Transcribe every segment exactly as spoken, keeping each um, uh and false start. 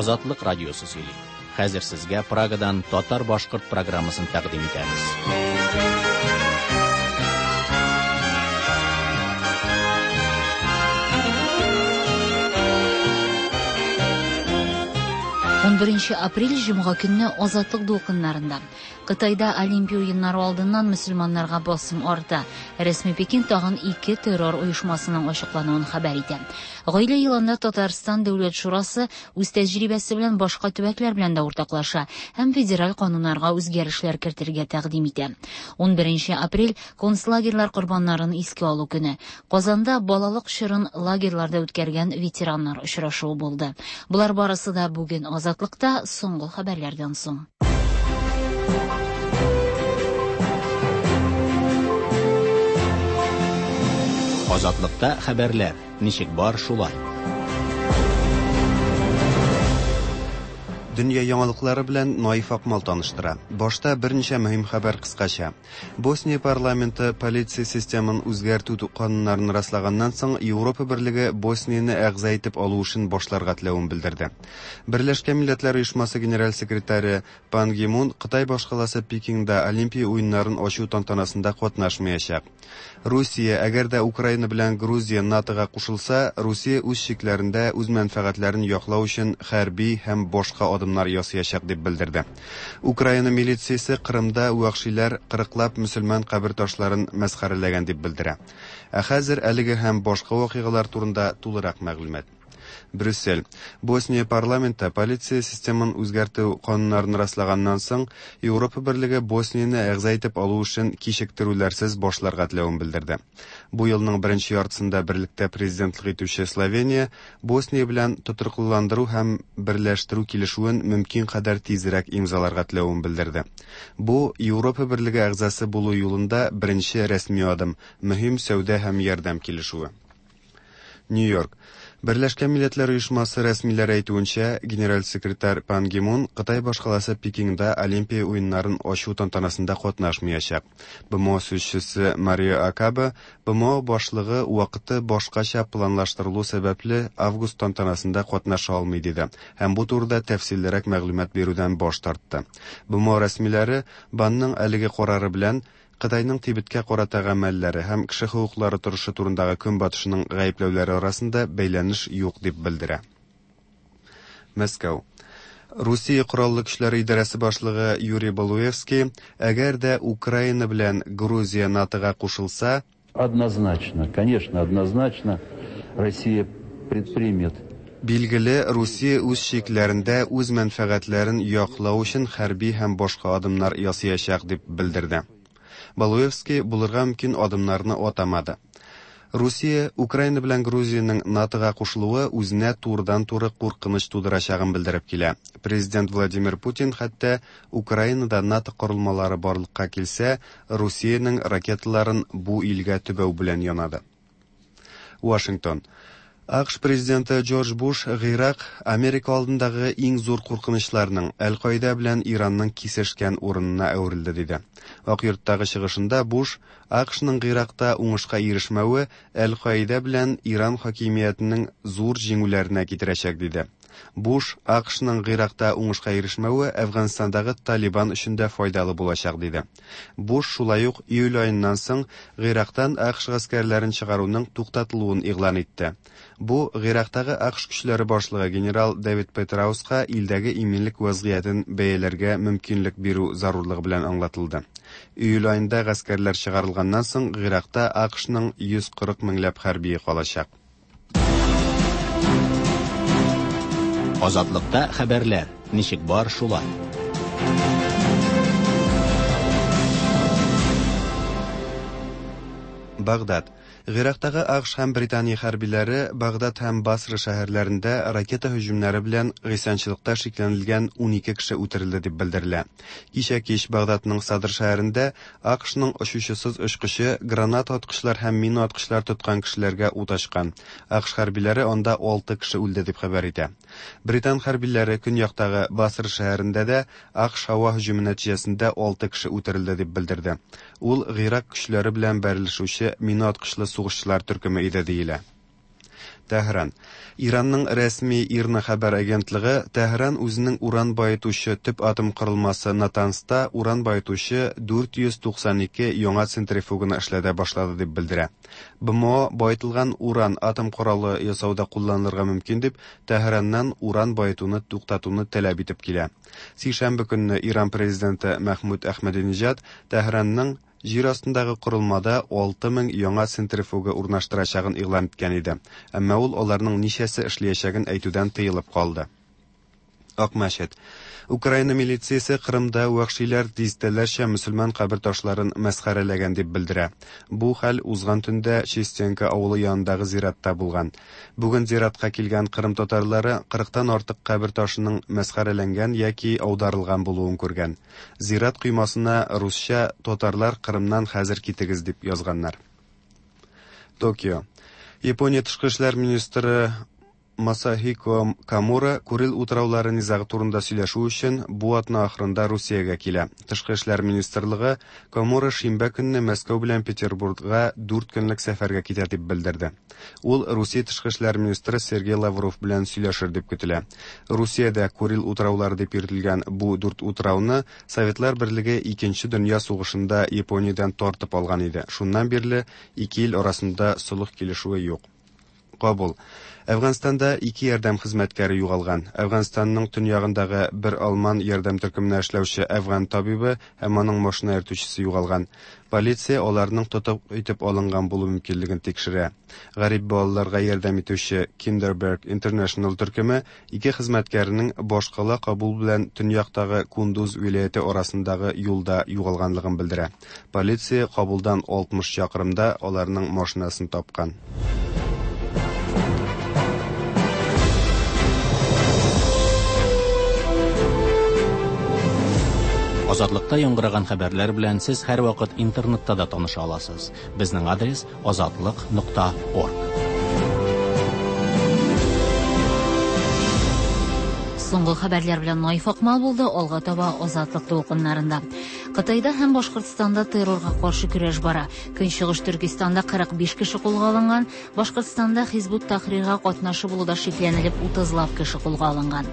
Азатлык радиосы сөйли. Хәзер сезгә Прагадан татар-башкорт программасын тәкъдим итәбез. Унберенче апрель җомга көнне Азатлык дулкыннарында. Кытайда Олимпия уеннары алдыннан мөселманнарга басым арта. Рәсми Пекин тагын ике террор оешмасының ачыклануын хәбәр итә. Гаилә елында Татарстан Дәүләт Шурасы үз тәҗрибәсе белән башка төбәкләр белән дә уртаклаша һәм федераль кануннарга үзгәрешләр кертергә тәкъдим итә. Унберенче апрель концлагерьлар корбаннарын искә алу көне. Казанда балалык чорын лагерьларда үткәргән ветераннар очрашуы булды. Болар барысы да бүген Азатлыкта соңгы хәбәрләрдән соң. Азатлыкта хәбәрләр ничек бар шулай. Дөнья яңалыклары белән Наиф Акмал таныштыра. Башта берничә мөһим хәбәр кыскача. Босния парламенты полиция системын үзгәртү кануннарын раслаганнан соң Европа берлеге Боснияне әгъза итеп алу эшен башларга теләвен белдерде. Берләшкән Милләтләр Оешмасы генераль секретаре Пан Ги Мун Кытай башкаласы Пекинда Олимпия уеннарын ачу тантанасында катнашмаячак. Русия, әгәр дә Украина белән Грузия НАТОга кушылса, Русия үз чикләрендә үз мәнфәгатьләрен яклау өчен хәрби һәм башка адымнар ясаячак дип белдерде. Украина милициясе Кырымда вәхшиләр кырыклап мөселман кабер ташларын мәсхәрәләгән дип белдерә. Ә хәзер әлеге һәм башка вакыйгалар турында тулырак мәгълүмат. Брюссель. Босния парламенты полиция системын үзгәртү кануннарын раслаганнан соң Европа берлеге Боснияне әгъза итеп алу эшен кичектерүләрсез башларга теләвен белдерде. Бу елның беренче яртысында берлектә президентлык итүче Словения Босния белән тотрыклыландыру һәм берләштерү килешүен мөмкин кадәр тизрәк имзаларга теләвен белдерде. Бу Европа берлеге әгъзасы булу юлында беренче рәсми адым, мөһим сәүдә һәм ярдәм килешүе. Нью-Йорк. Берләшкән Милләтләр Оешмасы рәсмиләре әйтүенчә, генераль секретарь Пан Ги Мун Кытай башкаласы Пекинда Олимпия уеннарын ачу тантанасында катнашмаячак. БМО сүзчесе Марио Акаба БМО башлыгы вакыты башкача планлаштырылу сәбәпле август тантанасында катнаша алмый диде һәм бу турыда тәфсиллерәк мәгълүмат бирүдән баш тартты. БМО рәсмиләре Банның әлеге карары белән Кытайның Тибеткә карата гамәлләре һәм кеше хокуклары торышы турындагы көнбатышының гаепләүләре арасында бәйләнеш юк дип белдерә. Мәскәү. Русия Кораллы Көчләре идарәсе башлыгы Юрий Балуевский, әгәр дә Украина белән Грузия НАТОга кушылса, Однозначно, конечно, однозначно Россия предпримет. Билгеле, Русия үз чикләрендә үз мәнфәгатьләрен яклау өчен хәрби һәм башка адымнар ясаячак дип белдерде. Балуевский булырга мөмкин адымнарны атамады. Русия, Украина белән Грузиянең НАТОга кушылуы үзенә турыдан-туры куркыныч тудырачагын белдереп килә. Президент Владимир Путин хәтта Украинада НАТО корылмалары барлыкка килсә, Русиянең ракеталарын бу илгә төбәү белән янады. Вашингтон. АКШ президенты Джордж Буш Гыйрак Америка алдындагы иң зур куркынычларның Әл-Каида белән Иранның кисешкән урынына әверелде диде. Ак йорттагы чыгышында Буш АКШның Гыйракта уңышка ирешмәве Әл-Каида белән Иран хакимиятенең зур җиңүләренә китерәчәк диде. Буш АКШның Гыйракта уңышка ирешмәве Әфганстандагы Талибан өчен дә файдалы булачак диде. Буш шулай ук июль аеннан соң Гыйрактан АКШ гаскәрләрен чыгаруның туктатылуын игълан итте. Бу Гыйрактагы АКШ көчләре башлыгы генерал Дэвид Петрауска илдәге иминлек вазгыятен бәяләргә мөмкинлек бирү зарурлыгы белән аңлатылды. Июль аенда гаскәрләр чыгарылганнан соң Гыйракта АКШның йөз кырык меңләп хәрбие калачак. Азатлыкта хәбәрләр ничек бар шулай. Багдад. Гыйрактагы АКШ һәм Британия хәрбиләре Багдад һәм Басра шәһәрләрендә ракета һөҗүмнәре белән гыйсьянчылыкта шикләнелгән унике кеше үтерелде дип белдерелә. Кичә кич Багдадның Садр шәһәрендә АКШның очучысыз очкычы гранат аткычлар һәм мина аткычлар тоткан кешеләргә ут ачкан. АКШ хәрбиләре анда алты кеше үлде дип хәбәр итә. Британ хәрбиләре көньяктагы Басра шәһәрендә дә АКШ һава һөҗүме нәтиҗәсендә алты кеше үтерелде дип белдерде. Ул Гыйрак көчләре белән бәрелешүче мина аткычлы сугышчылар төркеме иде диелә. Тәһран. Иранның рәсми ИРНА хәбәр агентлыгы Тәһран үзенең уран баетучы төп атом корылмасы Натанзта уран баетучы дүрт йөз туксан ике яңа центрифуганы эшләтә башлады дип белдерә. Б М О баетылган уран атом коралы ясауда кулланылырга мөмкин дип Тәһраннан уран баетуны туктатуны таләп итеп килә. Сишәмбе көнне Иран президенты Мәхмүд Әхмәдинежад Тәһранның җир астындагы корылмада алты мең яңа центрифуга урнаштырачагын игълан иткән иде. Әмма ул аларның ничәсе эшләячәген әйтүдән тыелып калды. Акмәчет. Украина милициясе Кырымда вәхшиләр дистәләрчә мөселман кабер ташларын мәсхәрәләгән дип белдерә. Бу хәл узган төндә Чистенка авылы янындагы зиратта булган. Бүген зиратка килгән Кырым татарлары кырыктан артык кабер ташының мәсхәрәләнгән яки аударылган булуын күргән. Зират коймасына русча «Татарлар Кырымнан хәзер китегез» дип язганнар. Токио. Япония тышкы эшләр министры Масахико Камура Курил утраулары низагы турында сөйләшү өчен бу атна ахырында Русиягә килә. Тышкы эшләр министрлыгы Камура шимбә көнне Мәскәү белән Петербургка дүрт көнлек сәфәргә китә дип белдерде. Ул Русия тышкы эшләр министры Сергей Лавров белән сөйләшер дип көтелә. Русиядә Курил утраулары дип йөртелгән бу дүрт утрауны Советлар Берлеге Икенче дөнья сугышында Япониядән тартып алган иде. Шуннан бирле ике ил арасында солых килешүе юк. Кабул. Әфганстанда ике ярдәм хезмәткәре югалган. Әфганстанның төньягындагы бер алман ярдәм төркеменә эшләүче әфган табибы һәм аның машина йөртүчесе югалган. Полиция аларның тотып итеп алынган булу мөмкинлеген тикшерә. Гарип балаларга ярдәм итүче Kinderberg International төркеме ике хезмәткәренең башкала Кабул белән төньяктагы Кундуз вилаяте арасындагы юлда югалганлыгын белдерә. Полиция Кабулдан алтмыш чакрымда аларның машинасын тапкан. Азатлыкта яңгыраган хәбәрләр белән сез һәрвакыт интернетта да таныша аласыз. Безнең адрес азатлык нокта орг. Соңгы хәбәрләр белән Наиф Акмал булды, алга таба Азатлык дулкыннарында. Кытайда һәм Башкортстанда террорга каршы көрәш бара. Көнчыгыш Төркестанда кырык биш кеше кулга алынган, Башкортстанда Хизбут Тахрирга катнашы булуда шикләнелеп утызлап кеше кулга алынган.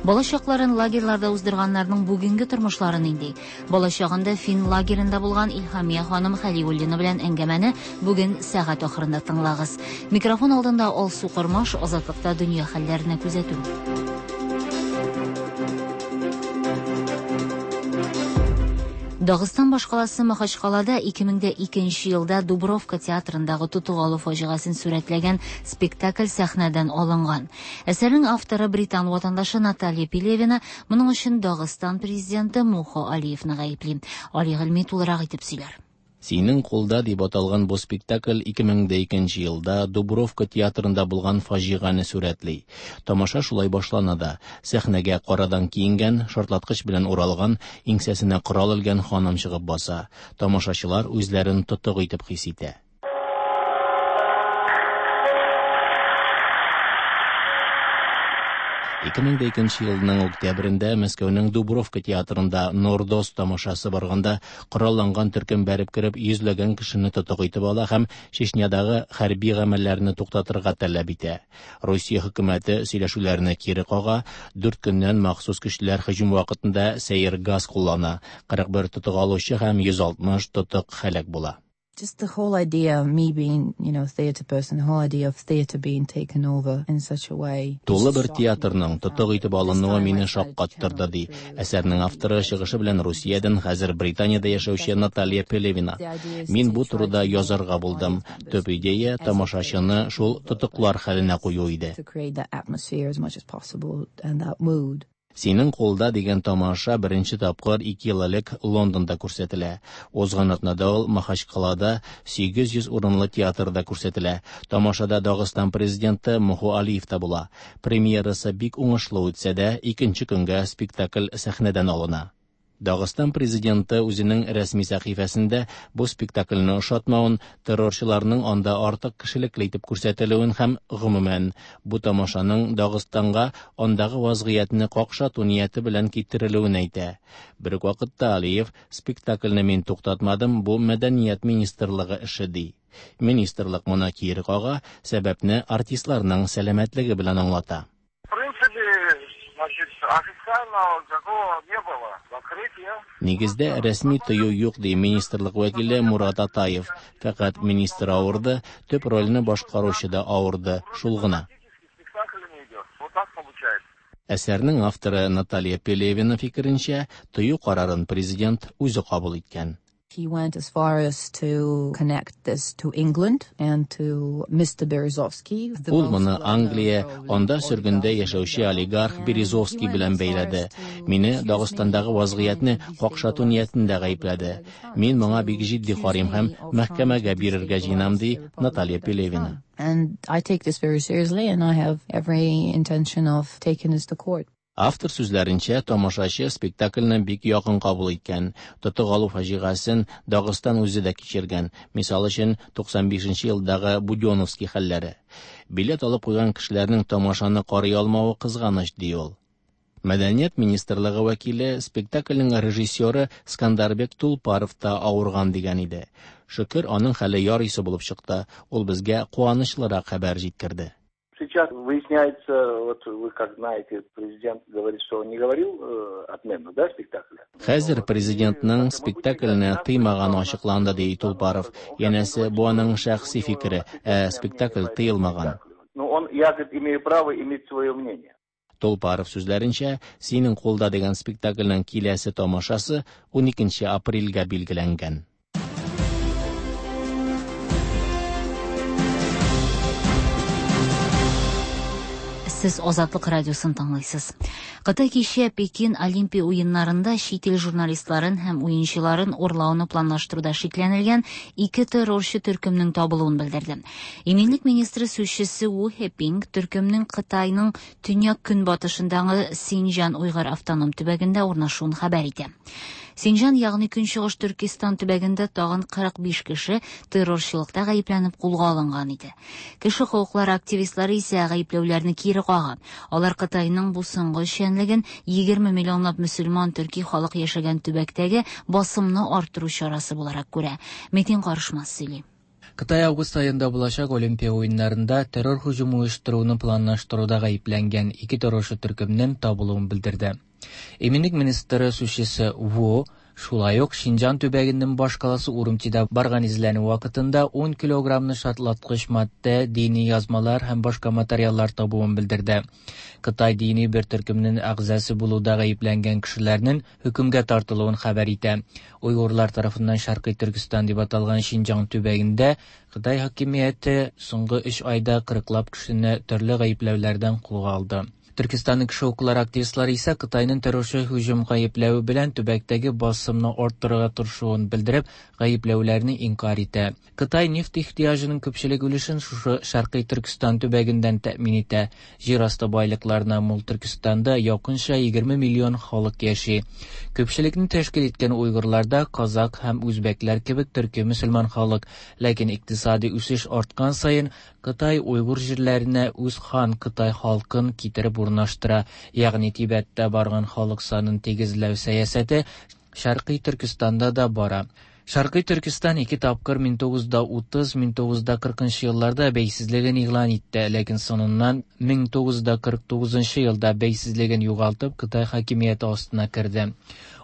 Балачакларын лагерьларда уздырганнарның бүгенге тормышлары нинди? Балачагында фин лагерында булган Илһамия ханым Хәлиуллина белән әңгәмәне бүген сәгать ахырында тыңлагыз. Микрофон алдында Алсу Кормаш, Азатлыкта дөнья хәлләренә күзәтү. Дагыстан башкаласы Махачкалада ике мең дә икенче елда Дубровка театрындагы тотып алу фаҗигасын сурәтләгән спектакль сәхнәдән алынган. Әсәрнең авторы британ ватандашы Наталья Пелевина моның өчен Дагыстан президенты Мухо Алиевны гаепли. Али Гыйльми тулырак итеп сөйләр. Синең кулда дип аталган бу спектакль ике мең дә икенче елда Дубровка театрында булган фаҗигане сурәтли. Тамаша шулай башлана да. Сәхнәгә карадан киенгән, шартлаткыч белән уралган, иңсәсенә корал элгән ханым чыгып баса. Тамашачылар үзләрен тотык итеп хис итә. Ике мең дә икенче елның октябрендә Мәскәүнең Дубровка театрында Нордост тамашасы барганда коралланган төркем бәреп кереп йөзләгән кешене тотык итеп ала һәм Чечнядагы хәрби гамәлләрне туктатырга таләп итә. Русия хөкүмәте сөйләшүләрне кире кага, дүрт көннән махсус көчләр һөҗүм вакытында сәер газ куллана. Кырык бер тотык алучы һәм йөз алтмыш тотык һәлак була. Just the whole idea of me being, you know, a theater person, the whole idea of theater being taken over in such a way. Тулы бер театрның тотык итеп алынуы мине шаккаттырды, ди. Әсәрнең авторы чыгышы белән Русиядән хәзер Британиядә яшәүче Наталья Пелевина. Мин бу турыда язарга булдым. Төп идея тамашачыны шул тотыклар хәленә кую иде. To create that atmosphere as much as possible and that mood. Синең кулда дигән тамаша беренче тапкыр ике ел элек Лондонда күрсәтелә. Узган атнада ул Махачкалада сигез йөз урынлы театрда күрсәтелә. Тамашада Дагыстан президенты Мухо Алиев та була. Премьерасы бик уңышлы үтсә дә, икенче көнгә спектакль сәхнәдән алына. Дагыстан президенты үзенең рәсми сәхифәсендә бу спектакльне ошатмавын, террорчыларның анда артык кешелекле итеп күрсәтелүен һәм гомумән бу тамашаның Дагыстанга андагы вазгыятьне какшату нияте белән китерелүен әйтә. Бер үк вакытта Алиев спектакльне мин туктатмадым, бу мәдәният министрлыгы эше ди. Министрлык моны кире кага, сәбәпне артистларның сәламәтлеге белән аңлата. Значит, официального такого не было. Закрытия. Нигездә рәсми тыю юк ди министрлык вәкиле Мурат Атаев. Фәкать министр авырды, төп рольне башкаручы да авырды, шул гына. Спектакль не идет. Вот так получается. Әсәрнең авторы Наталья Пелевина фикеренчә, тыю карарын президент үзе кабул иткән. He went as far as to connect this to England and to Mister Berezovsky. Ул моны Англия, анда сөргендә яшәүче олигарх Березовский белән бәйләде. Мине Дагыстандагы вазгыятьне какшату ниятендә гаепләде. Мин моңа бик җитди карыйм һәм мәхкәмәгә бирергә җыенам, ди Наталья Пелевина. And I take this very seriously and I have every intention of taking this to court. Автор сүзләренчә, тамашачы спектакльне бик якын кабул иткән. Тотык алу фаҗигасын Дагыстан үзе дә кичергән. Мисал өчен, туксан бишенче елдагы Будённовский хәлләре. Билет алып куйган кешеләрнең тамашаны карый алмавы кызганыч, ди ул. Мәдәният министрлыгы вәкиле спектакльнең режиссеры Скандарбек Тулпаров та авырган дигән иде. Шөкер, аның хәле ярыйсы булып чыкты. Ул безгә куанычлырак хәбәр җиткерде. Сейчас выясняется, вот вы как знаете, президент говорит, что он не говорил э, отмену, да, спектакля? Хәзер президентның спектакльне тыймаганы ачыкланды, ди Тулпаров. Янәсе, бу аның шәхси фикере, ә спектакль тыелмаган. Ну, он, я, говорит, имею право иметь свое мнение. Тулпаров сүзләренчә, Синең кулда дигән спектакльнең киләсе тамашасы уникенче апрельгә билгеләнгән. Сез Азатлык радиосын тыңлыйсыз. Кытай кичә Пекин Олимпия уеннарында чит ил журналистларын һәм уенчыларын урлауны планлаштыруда шикләнелгән ике террорчы төркемнең табылуын белдерде. Иминлек министры сүзчесе Ву Хепинг төркемнең Кытайның төньяк көнбатышындагы Синҗан уйгыр автоном төбәгендә урнашуын хәбәр итә. Синҗан, ягъни Көнчыгыш Төркестан төбәгендә тагын кырык биш кеше террорчылыкта гаепләнеп кулга алынган иде. Кеше хокуклары активистлары исә гаепләүләрне кире кага. Алар Кытайның бу соңгы эшчәнлеген егерме миллионлап мөселман төрки халык яшәгән төбәктәге басымны арттыру чарасы буларак күрә. Метин Карышмас сөйли. Кытай август аенда булачак Олимпия уеннарында террор һөҗүме оештыруны планлаштыруда гаепләнгән ике террорчы төркемнең табылуын белдерде. Иминлек министры сүзчесе Ву шулай ук Шинҗан төбәгенең башкаласы Урумчида барган эзләнү вакытында ун килограммны шартлаткыч матдә, дини язмалар һәм башка материаллар табуын белдерде. Кытай дини бер төркемнең әгъзасы булуда гаепләнгән кешеләрнең хөкемгә тартылуын хәбәр итә. Уйгырлар тарафыннан Шәркый Төркестан дип аталган Шинҗан төбәгендә Кытай хакимияте соңгы өч айда кырыклап кешене төрле гаепләүләрдән кулга алды. Төркестанның кеше хокуклары активистлары исә Кытайның террорчы һөҗүм гаепләве белән төбәктәге басымны арттырырга тырышуын белдереп, гаепләүләрне инкар итә. Кытай нефть ихтыяҗының күпчелек өлешен шушы Шәркый Төркестан төбәгеннән тәэмин итә. Җир асты байлыкларына мул Төркестанда якынча егерме миллион халык яши. Күпчелекне тәшкил иткән уйгырларда казак һәм үзбәкләр кебек төрки мөселман халык, ләкин икътисади үсеш арткан саен Кытай уйгыр җирләренә үз хан Кытай халкын китереп урнаштыра, ягъни Тибеттә барган халык санын тигезләү сәясәте Шәркый Төркестанда да бара. Шәркый Төркестан ике тапкыр мең тугыз йөз утыз, мең тугыз йөз кыркынчы елларда бәйсезлеген игълан итте, ләкин соңыннан мең тугыз йөз кырык тугызынчы елда бәйсезлеген югалтып Кытай хакимияте астына керде.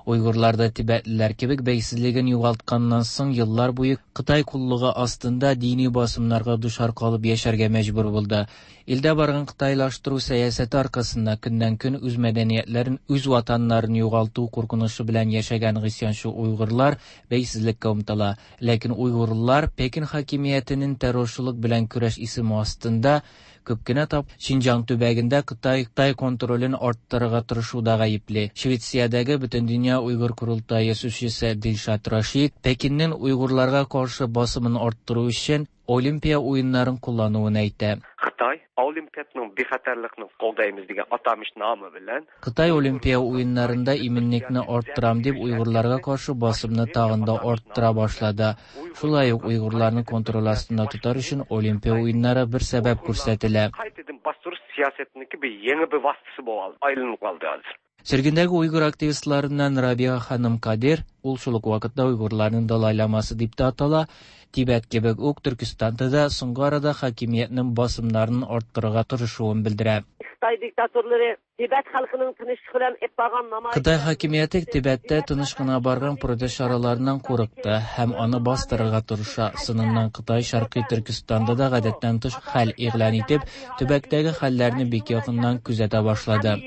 Уйгырлар да тибетлеләр кебек бәйсезлеген югалтканнан соң еллар буе Кытай куллыгы астында дини басымнарга дучар калып яшәргә мәҗбүр булды. Илдә барган кытайлаштыру сәясәте аркасында көннән-көн үз мәдәниятләрен, үз ватаннарын югалту куркынычы белән яшәгән гыйсьянчы уйгырлар бәйсезлеккә омтыла. Ләкин уйгырлар Пекин хакимиятенең террорчылык белән көрәш исеме астында күп кенә тап Шинҗан төбәгендә Кытай, Кытай контролен арттырырга тырышуда гаепле. Швециядәге Бөтендөнья Уйгыр Корылтае сүзчесе Дилшат Рашид Пекиннең уйгырларга каршы басымын арттыру өчен Олимпия уеннарын куллануын әйтә. Кытай Олимпия Siyosetning bexatarlikni qo'llaymiz degan atamış nomi bilan Xitoy Olimpiya o'yinlarida iminlikni orttiram deb Uyg'urlarga qarshi bosimni tag'inda orttira boshladi. Shulay uq Uyg'urlarni kontrol ostida tutar uchun Olimpiya o'yinlari bir sabab ko'rsatiladi. Qaytadan bostirish siyosetniki bir yangi bir vositasi bo'lib aylanib qoldi hozir. Sürgündəgi Uyğur aktivistlarından Rabia xanım Kadir, ул шул ук вакытта Уйғурларның Далай-ламасы дип тә атала, Тибет кебек үк Төркестанда да соңгы арада хакимиятның басымнарын арттырырга тырышуын белдерә. Xitoy diktatorlari Tibet xalqining tinchlik bilan ep bargan namoyish Xitoy хакимияте Тибеттә тыныч кына барган протест чараларыннан курыкты һәм аны бастырырга тырыша. Сыныннан Кытай Шәркый Төркестанда да гадәттән тыш хәл игълан итеп, төбәктәге хәлләрне бик якыннан күзәтә башлады.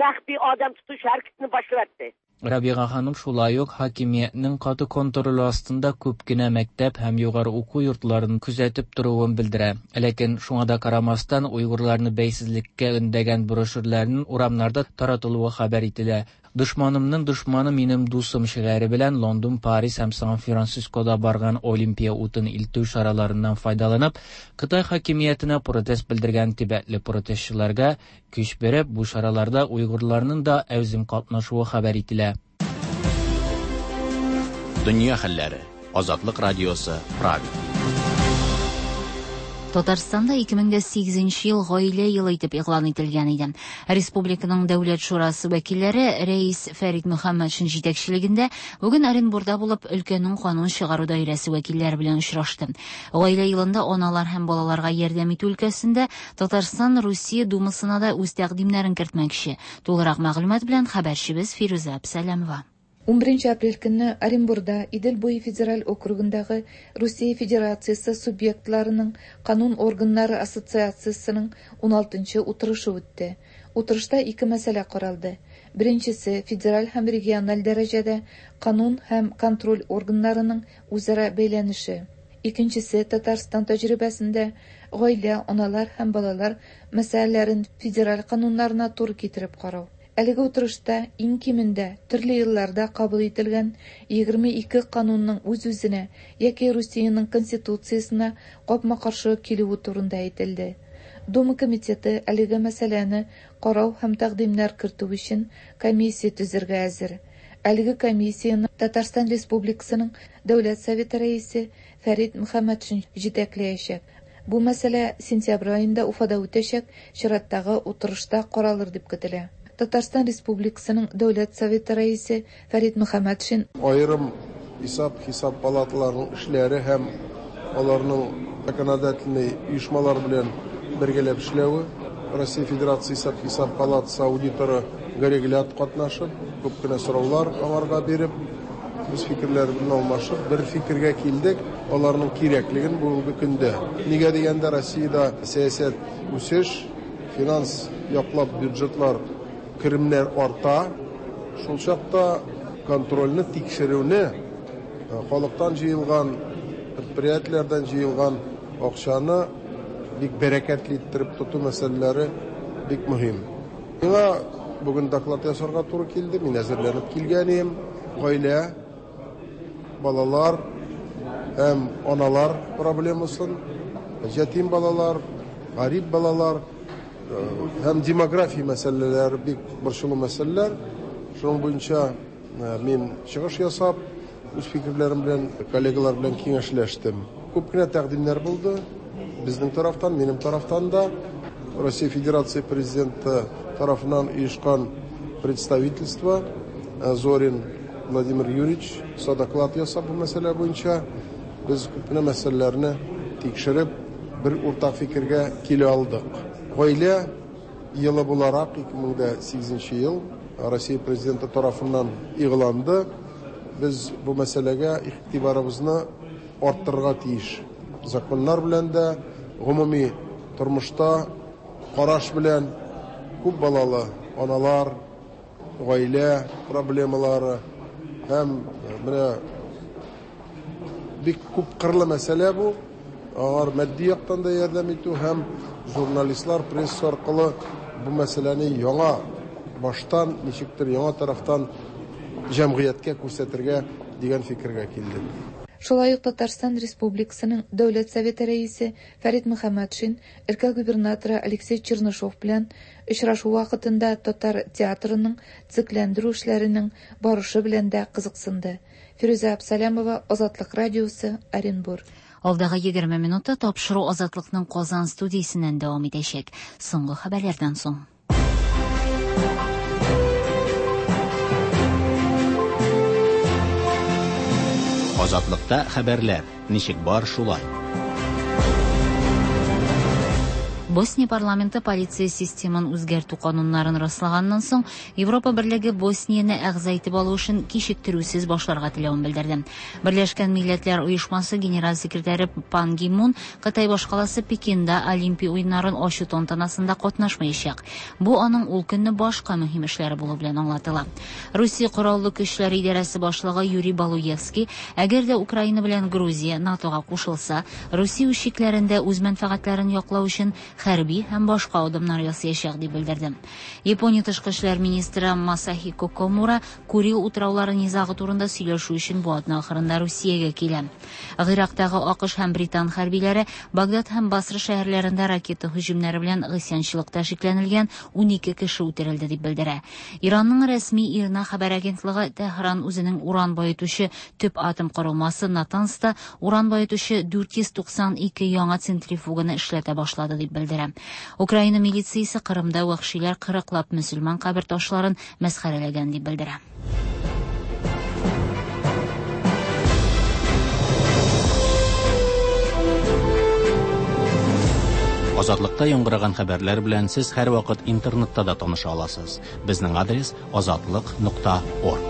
Məxfi adam tutuş hareketini başlattı. Рабиға ханым шулай ук хакимиятның каты контроле астында күп кенә мәктәп һәм югары уку йортларын күзәтеп торуын белдерә. Ләкин шуңа да карамастан уйгырларны бәйсезлеккә өндәгән брошюрларның урамнарда таратылуы хәбәр ителә. Дошманымның дошманы минем дусым шигаре белән Лондон, Париж һәм Сан-Францискода барган Олимпия утын илтү чараларыннан файдаланып, Кытай хакимиятенә протест белдергән тибетле протестчыларга көч биреп, бу чараларда уйгырларның да әүзем катнашуы хәбәр ителә. Дөнья хәлләре. Азатлык радиосы, Прага. Татарстанда ике мең дә сигезенче ел гаилә елы итеп игълан ителгән иде. Республиканың Дәүләт шурасы вәкилләре рәис Фәрит Мөхәммәтшин җитәкчелегендә бүген Оренбурда булып өлкәнең канун чыгару даирәсе вәкилләре белән очрашты. Гаилә елында аналар һәм балаларга ярдәм итү өлкәсендә Татарстан Русия Думасына да үз тәкъдимнәрен кертмәкче. Тулырак мәгълүмат белән хәбәрчебез Фирүзә Әбсәләмова. ун беренче апрель көнне Оренбурда Идел буе федераль округындагы Русия Федерациясе субъектларының канун органнары ассоциациясының ун алтынчы утырышы үтте. Утырышта ике мәсьәлә каралды. Беренчесе федераль һәм региональ дәрәҗәдә канун һәм контроль органнарының үзара бәйләнеше. Икенчесе Татарстан тәҗрибәсендә гаилә, аналар һәм балалар мәсьәләләрен федераль кануннарына туры китереп карау. Әлеге утырышта иң кимендә төрле елларда кабул ителгән егерме ике канунның үз-үзенә яки Русиянең конституциясенә капма-каршы килүе турында әйтелде. Дума комитеты әлеге мәсьәләне карау һәм тәкъдимнәр кертү өчен комиссия төзергә әзер. Әлеге комиссияне Татарстан Республикасының Дәүләт Советы рәисе Фәрит Мөхәммәтшин җитәкләячәк. Бу мәсьәлә сентябрь аенда Уфада үтәчәк чираттагы утырышта каралыр дип көтелә. Татарстан Республикасының Дәүләт Советы рәисе Фәрит Мөхәммәтшин аерым исап-хисап палаталарының эшләре һәм аларның законодательный оешмалар белән бергәләп эшләве, Россия Федерация исап-хисап палатасы аудиторы Гареглят катнашып, күп кенә сораулар аларга биреп, үз фикерләре белән алмашып, бер фикергә килдек, аларның кирәклеген бүгенге көндә. Нигә дигәндә Россиядә сәясәт үсеш, финанс яклап бюджетлар керемнәр арта, шул чакта контрольне тикшерүне халыктан җыелган, предприятиеләрдән җыелган акчаны бик бәрәкәтле иттереп тоту мәсьәләләре бик мөһим. Миңа бүген доклад ясарга туры килде, мин әзерләнеп килгән идем. Гаилә, балалар һәм аналар проблемасын, ятим балалар, гарип балалар һәм демография мәсьәләләре бик борчулы мәсьәләләр. Шуның буенча мин чыгыш ясап, үз фикерләрем белән, коллегалар белән киңәшләштем. Күп кенә тәкъдимнәр булды. Безнең тарафтан, минем тарафтан да Россия Федерация президенты тарафыннан оешкан представительство Зорин Владимир Юрьевич доклад ясап бу мәсьәлә буенча без күп кенә мәсьәләләрне тикшереп, бер уртак фикергә килә алдык. Гаилә елы буларак ике мең дә сигезенче ел Россия президенты тарафыннан игъланды. Без бу мәсьәләгә игътибарыбызны арттырырга тиеш. Законнар белән дә, гомуми тормышта караш белән күп балалы аналар, гаилә проблемалары һәм менә бик күп кырлы мәсьәлә бу. Алар матди яктан да ярдәм итү һәм журналистлар, пресса аркылы бу мәсьәләне яңа баштан, ничектер яңа тарафтан җәмгыятькә күрсәтергә дигән фикергә килдек. Шулай ук Татарстан Республикасының Дәүләт Советы рәисе Фәрит Мөхәммәтшин өлкә губернаторы Алексей Чернышов белән очрашу вакытында татар театрының төзекләндерү эшләренең барышы белән дә кызыксынды. Фирүзә Абсалямова, Азатлык радиосы, Оренбур. Алдагы егерме минутта тапшыру Азатлыкның Казан студиясеннән дәвам итәчәк. Соңгы хәбәрләрдән соң. Азатлыкта хәбәрләр ничек бар шулай. Босния парламенты полиция системын үзгәртү кануннарын раслаганнан соң, Европа Берлеге Боснияне әгъза итеп алу эшен кичектерүсез башларга теләвен белдерде. Берләшкән Милләтләр Оешмасы генераль секретаре Пан Ги Мун Кытай башкаласы Пекинда Олимпия уеннарын ачу тантанасында катнашмаячак. Бу аның ул көнне башка мөһим эшләре булу белән аңлатыла. Русия Кораллы Көчләре идарәсе башлыгы Юрий Балуевский, әгәр дә Украина белән Грузия НАТОга кушылса, Русия үз чикләрендә үз мәнфәгатьләрен яклау өчен хәрби һәм башка адымнар ясаячак дип белдерде. Япония тышкы эшләр министры Масахико Комура Курил утраулары низагы турында сөйләшү өчен бу атна ахырында Русиягә килә. Гыйрактагы АКШ һәм Британ хәрбиләре Багдад һәм Басра шәһәрләрендә ракета һөҗүмнәре белән гыйсьянчылыкта шикләнелгән ун ике кеше үтерелде дип белдерә. Иранның рәсми ИРНА хәбәр агентлыгы Тәһран үзенең уран баетучы төп атом корылмасы Натанста уран баетучы дүрт йөз туксан ике яңа центрифуганы эшләтә башлады дип белдерә. Украина милициясе Кырымда вәхшиләр кырыклап мөселман кабер ташларын мәсхәрәләгән дип белдерә. Азатлыкта яңгыраган хәбәрләр белән сез һәрвакыт интернетта да таныша аласыз. Безнең адрес азатлык нокта орг.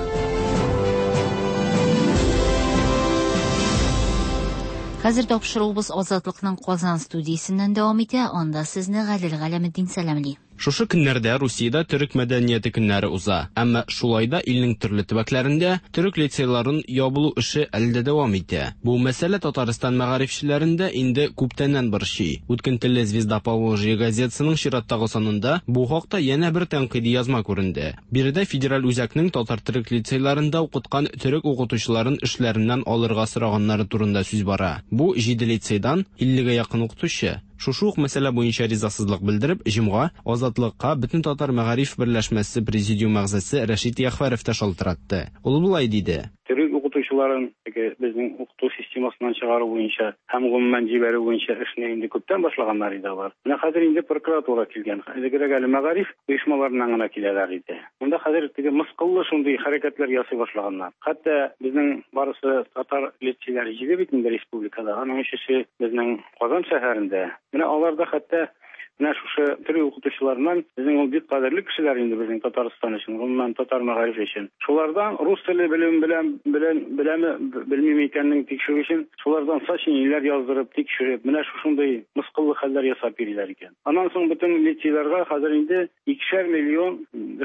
Хәзер тапшыруыбыз Азатлыкның Казан студиясеннән дәвам итә. Анда сезне Гадел Галәметдин сәламли. Шушы көннәрдә Русиядә төрек мәдәнияте көннәре уза. Әмма шулай да илнең төрле төбәкләрендә төрек лицейларын ябылу эше әле дә дәвам итә. Бу мәсьәлә Татарстан мәгарифчеләрендә инде күптәннән борчый. Үткен телле Звезда Поволжья газетасының чираттагы санында бу хакта янә бер тәнкыйди язма күренде. Биредә федераль үзәкнең татар төрек лицейларында укыткан төрек укытучыларын эшләреннән алырга сораганнары турында сүз бара. Бу җиде лицейдан иллегә якын укытучы. Шушы ук мәсьәлә буенча ризасызлык белдереп, җомга Азатлыкка бөтен татар мәгариф берләшмәсе президиум әгъзасы Рәшит Яхвәров та шалтыратты. Ул болай диде: Төрек укытучыларын теге безнең укыту системасыннан чыгару буенча һәм гомумән җибәрү буенча эшне инде күптән башлаганнар иде алар. Менә хәзер инде прокуратура килгән. Элегрәк әле мәгариф оешмаларыннан гына киләләр иде. Монда хәзер теге мыскыллы шундый хәрәкәтләр ясый башлаганнар. Хәтта безнең барысы татар лицейлары җиде бит инде республикада. Аның өчесе безнең Казан шәһәрендә. Менә алар да хәтта менә шушы төрек укытучыларыннан безнең ул бик кадерле кешеләр инде безнең Татарстан өчен, гомумән татар мәгарифе өчен. Шулардан рус теле белем белән белән беләме белмиме икәнен тикшерү өчен шулардан сочинениеләр яздырып, тикшереп, менә шушындый мыскыллы хәлләр ясап йөриләр икән. Аннан соң бөтен лицейларга хәзер инде икешәр миллион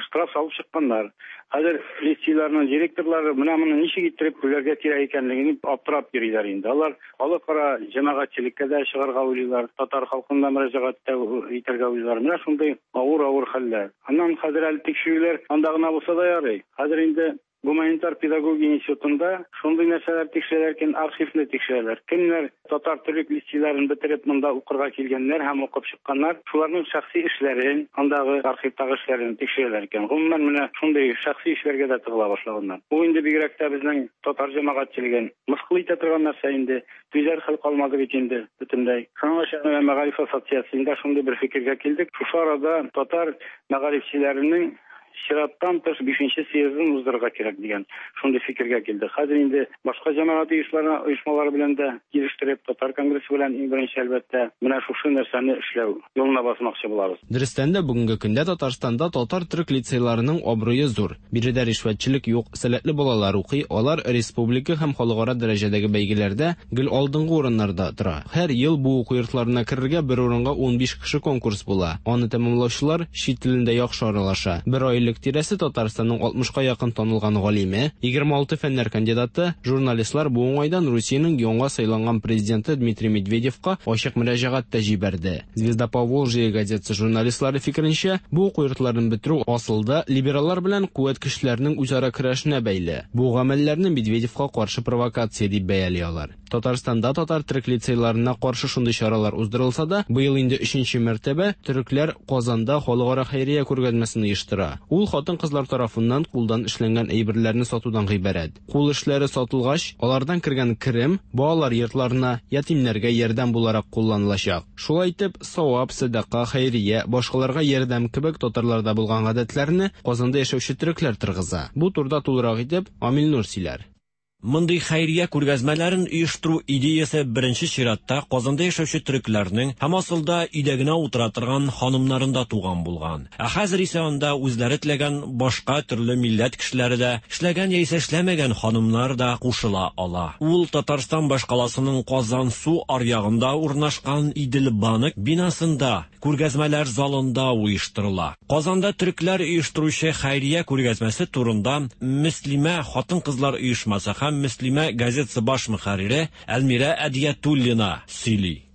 штраф салып чыкканнар. Хәзер лицейларның директорлары менә моны ничек иттереп түләргә кирәк икәнлеген аптырап йөриләр инде. Алар халыкара җәмәгатьчелеккә дә чыгарга уйлыйлар, татар халкына мөрәҗәгать тә итәргә уйлыйлар. Менә шундый авыр-авыр хәлләр. Аннан хәзер әле тикшерүләр анда гына булса да ярый. Хәзер инде гуманитар педагогия институтында шундый нәрсәләр тикшерәләр икән, архивны тикшерәләр. Кемнәр татар төрек лицейларын бетереп монда укырга килгәннәр һәм укып чыкканнар, шуларның шәхси эшләрен, андагы архивтагы эшләрен тикшерәләр икән. Гомумән менә шундый шәхси эшләргә дә тыгыла башлаганнар. Бу инде бигрәк тә безнең татар җәмәгатьчелеген мыскыл итә торган нәрсә инде. Түзәр хәл калмады бит инде бөтенләй. Шуңа күрә мәгариф ассоциациясендә шундый бер фикергә килдек. Шушы арада татар мәгарифчеләренең чираттан тыш бишенче съездын уздырырга кирәк дигән шундый фикергә килде. Хәзер инде башка җәмәгать оешмалары белән дә килештереп, татар конгрессы белән иң беренче әлбәттә менә шушы нәрсәне эшләү юлына басмакчы булабыз. Дөрестән дә бүгенге көндә Татарстанда татар төрек лицейларының абруе зур. Биредә ришвәтчелек юк, сәләтле балалар укый, алар республика һәм халыкара дәрәҗәдәге бәйгеләрдә гел алдынгы урыннарда тора. Һәр ел бу уку йортларына керергә бер урынга унбиш кеше конкурс була. Аны тәмамлаучылар чит телендә яхшы аралаша. Бер ай иллек тирәсе Татарстанның алтмышка якын танылган галиме, егерме алты фәннәр кандидаты, журналистлар бу уңайдан Русиянең яңа сайланган президенты Дмитрий Медведевка ачык мөрәҗәгать тә җибәрде. Звезда Поволжья газетасы журналистлары фикеренчә, бу уку йортларын бетерү асылда либераллар белән куәт көчләренең үзара көрәшенә бәйле. Бу гамәлләрне Медведевка каршы провокация дип бәяли алар. Татарстанда татар төрек лицейларына каршы шундый чаралар уздырылса да, быел инде өченче мәртәбә төрекләр Казанда халыкара хәйрия күргәзмәсен оештыра. Ул хатын-кызлар тарафыннан кулдан эшләнгән әйберләрне сатудан гыйбарәт. Кул эшләре сатылгач, алардан кергән керем балалар йортларына, ятимнәргә ярдәм буларак кулланылачак. Шулай итеп, савап, сәдака, хәйрия, башкаларга ярдәм кебек татарларда булган гадәтләрне Казанда яшәүче төрекләр торгыза. Бу турыда тулырак итеп Амил Нур сөйләр. Мондый хәйрия күргәзмәләрен оештыру идеясы беренче чиратта Казанда яшәүче төрекләрнең һәм асылда өйдә генә утыра торган ханымнарында туган булган. Ә хәзер исә анда үзләре теләгән башка төрле милләт кешеләре дә, эшләгән яисә эшләмәгән ханымнар да кушыла ала. Ул Татарстан башкаласының Казан су аръягында урнашкан Идел банк бинасында, күргәзмәләр залында оештырыла. Казанда төрекләр оештыручы хәйрия күргәзмәсе турында Мөслимә хатын-кызлар оешмасы һәм Мөслимә газетасы баш мөхәррире Әлмирә Әдиятуллина сөйли.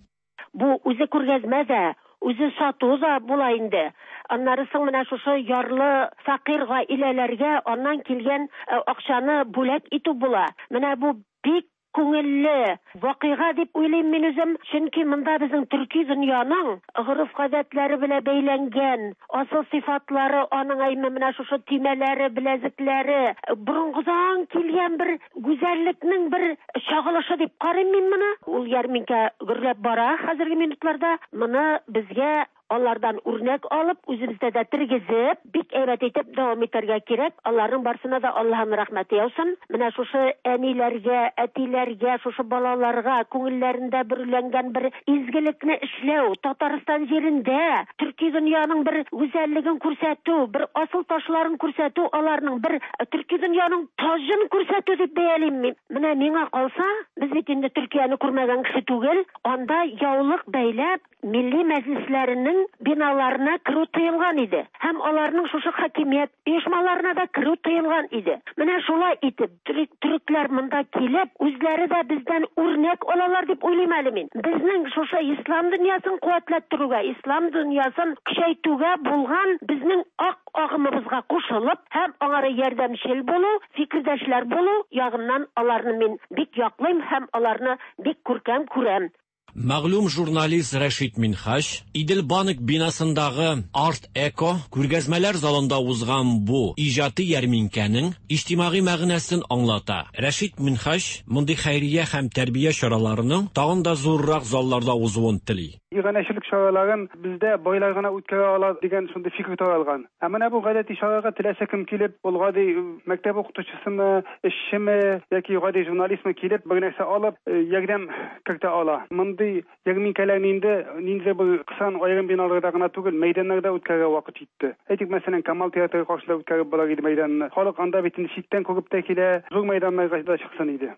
Бу үзе күргәзмә дә, үзе сату да була инде. Аннары соң менә шушы ярлы фәкыйрь гаиләләргә аннан килгән акчаны бүләк итү була. Менә бу бик күңелле вакыйга дип уйлыйм мин үзем, чөнки монда безнең төрки дөньяның гореф-гадәтләре белән бәйләнгән асыл сыйфатлары, аның әйме менә шушы төймәләре, беләзекләре, борынгыдан килгән бер гүзәллекнең бер чагылышы дип карыйм мин моны. Ул ярминкә гөрләп бара хәзерге минутларда. Моны безгә алардан үрнәк алып, үзебездә дә тергезеп, бик әйбәт итеп дәвам итәргә кирәк. Аларның барсына да Аллаһның рәхмәте яусын. Менә шушы әниләргә, әтиләргә, шушы балаларга күңелләрендә бөреләнгән бер изгелекне эшләү, Татарстан җирендә төрки дөньяның бер гүзәллеген күрсәтү, бер асыл ташларын күрсәтү, аларның бер төрки дөньяның таҗын күрсәтү дип бәялим мин. Менә миңа калса, без бит инде Төркияне күрмәгән кеше түгел, анда яулык бәйләп милли мәҗлесләренең биналарына керү тыелган иде. Һәм аларның шушы хакимият оешмаларына да керү тыелган иде. Менә шулай итеп төрекләр монда килеп, үзләре дә бездән үрнәк алалар дип уйлыйм әле мин. Безнең шушы ислам дөньясын куәтләттерүгә, ислам дөньясын көчәйтүгә булган безнең ак агымыбызга кушылып һәм аңара ярдәмчел булу, фикердәшләр булу ягыннан аларны мин бик яклыйм һәм аларны бик күркәм күрәм. Мәгълүм журналист Рәшит Минһаҗ Идел банк бинасындагы Арт Эко күргәзмәләр залында узган бу иҗади ярминкәнең иҗтимагый мәгънәсен аңлата. Рәшит Минһаҗ мондый хәйрия һәм тәрбия чараларының тагын да зуррак залларда узуын тели. Иганәчелек чараларын бездә байлар гына үткәрә ала дигән шундый фикер таралган. Ә менә бу гадәти чарага теләсә кем килеп, ул гади мәктәп укытучысымы, эшчеме яки гади журналистмы килеп, бер нәрсә алып, ярдәм кертә ала. Мондый ярминкәләрне инде ниндидер бер кысан аерым биналарда гына түгел, мәйданнарда үткәрергә вакыт җитте. Әйтик, мәсәлән, Камал театры каршында үткәреп була иде мәйданны. Халык анда бит инде читтән күреп тә килә, зур мәйданнарга да чыксын иде.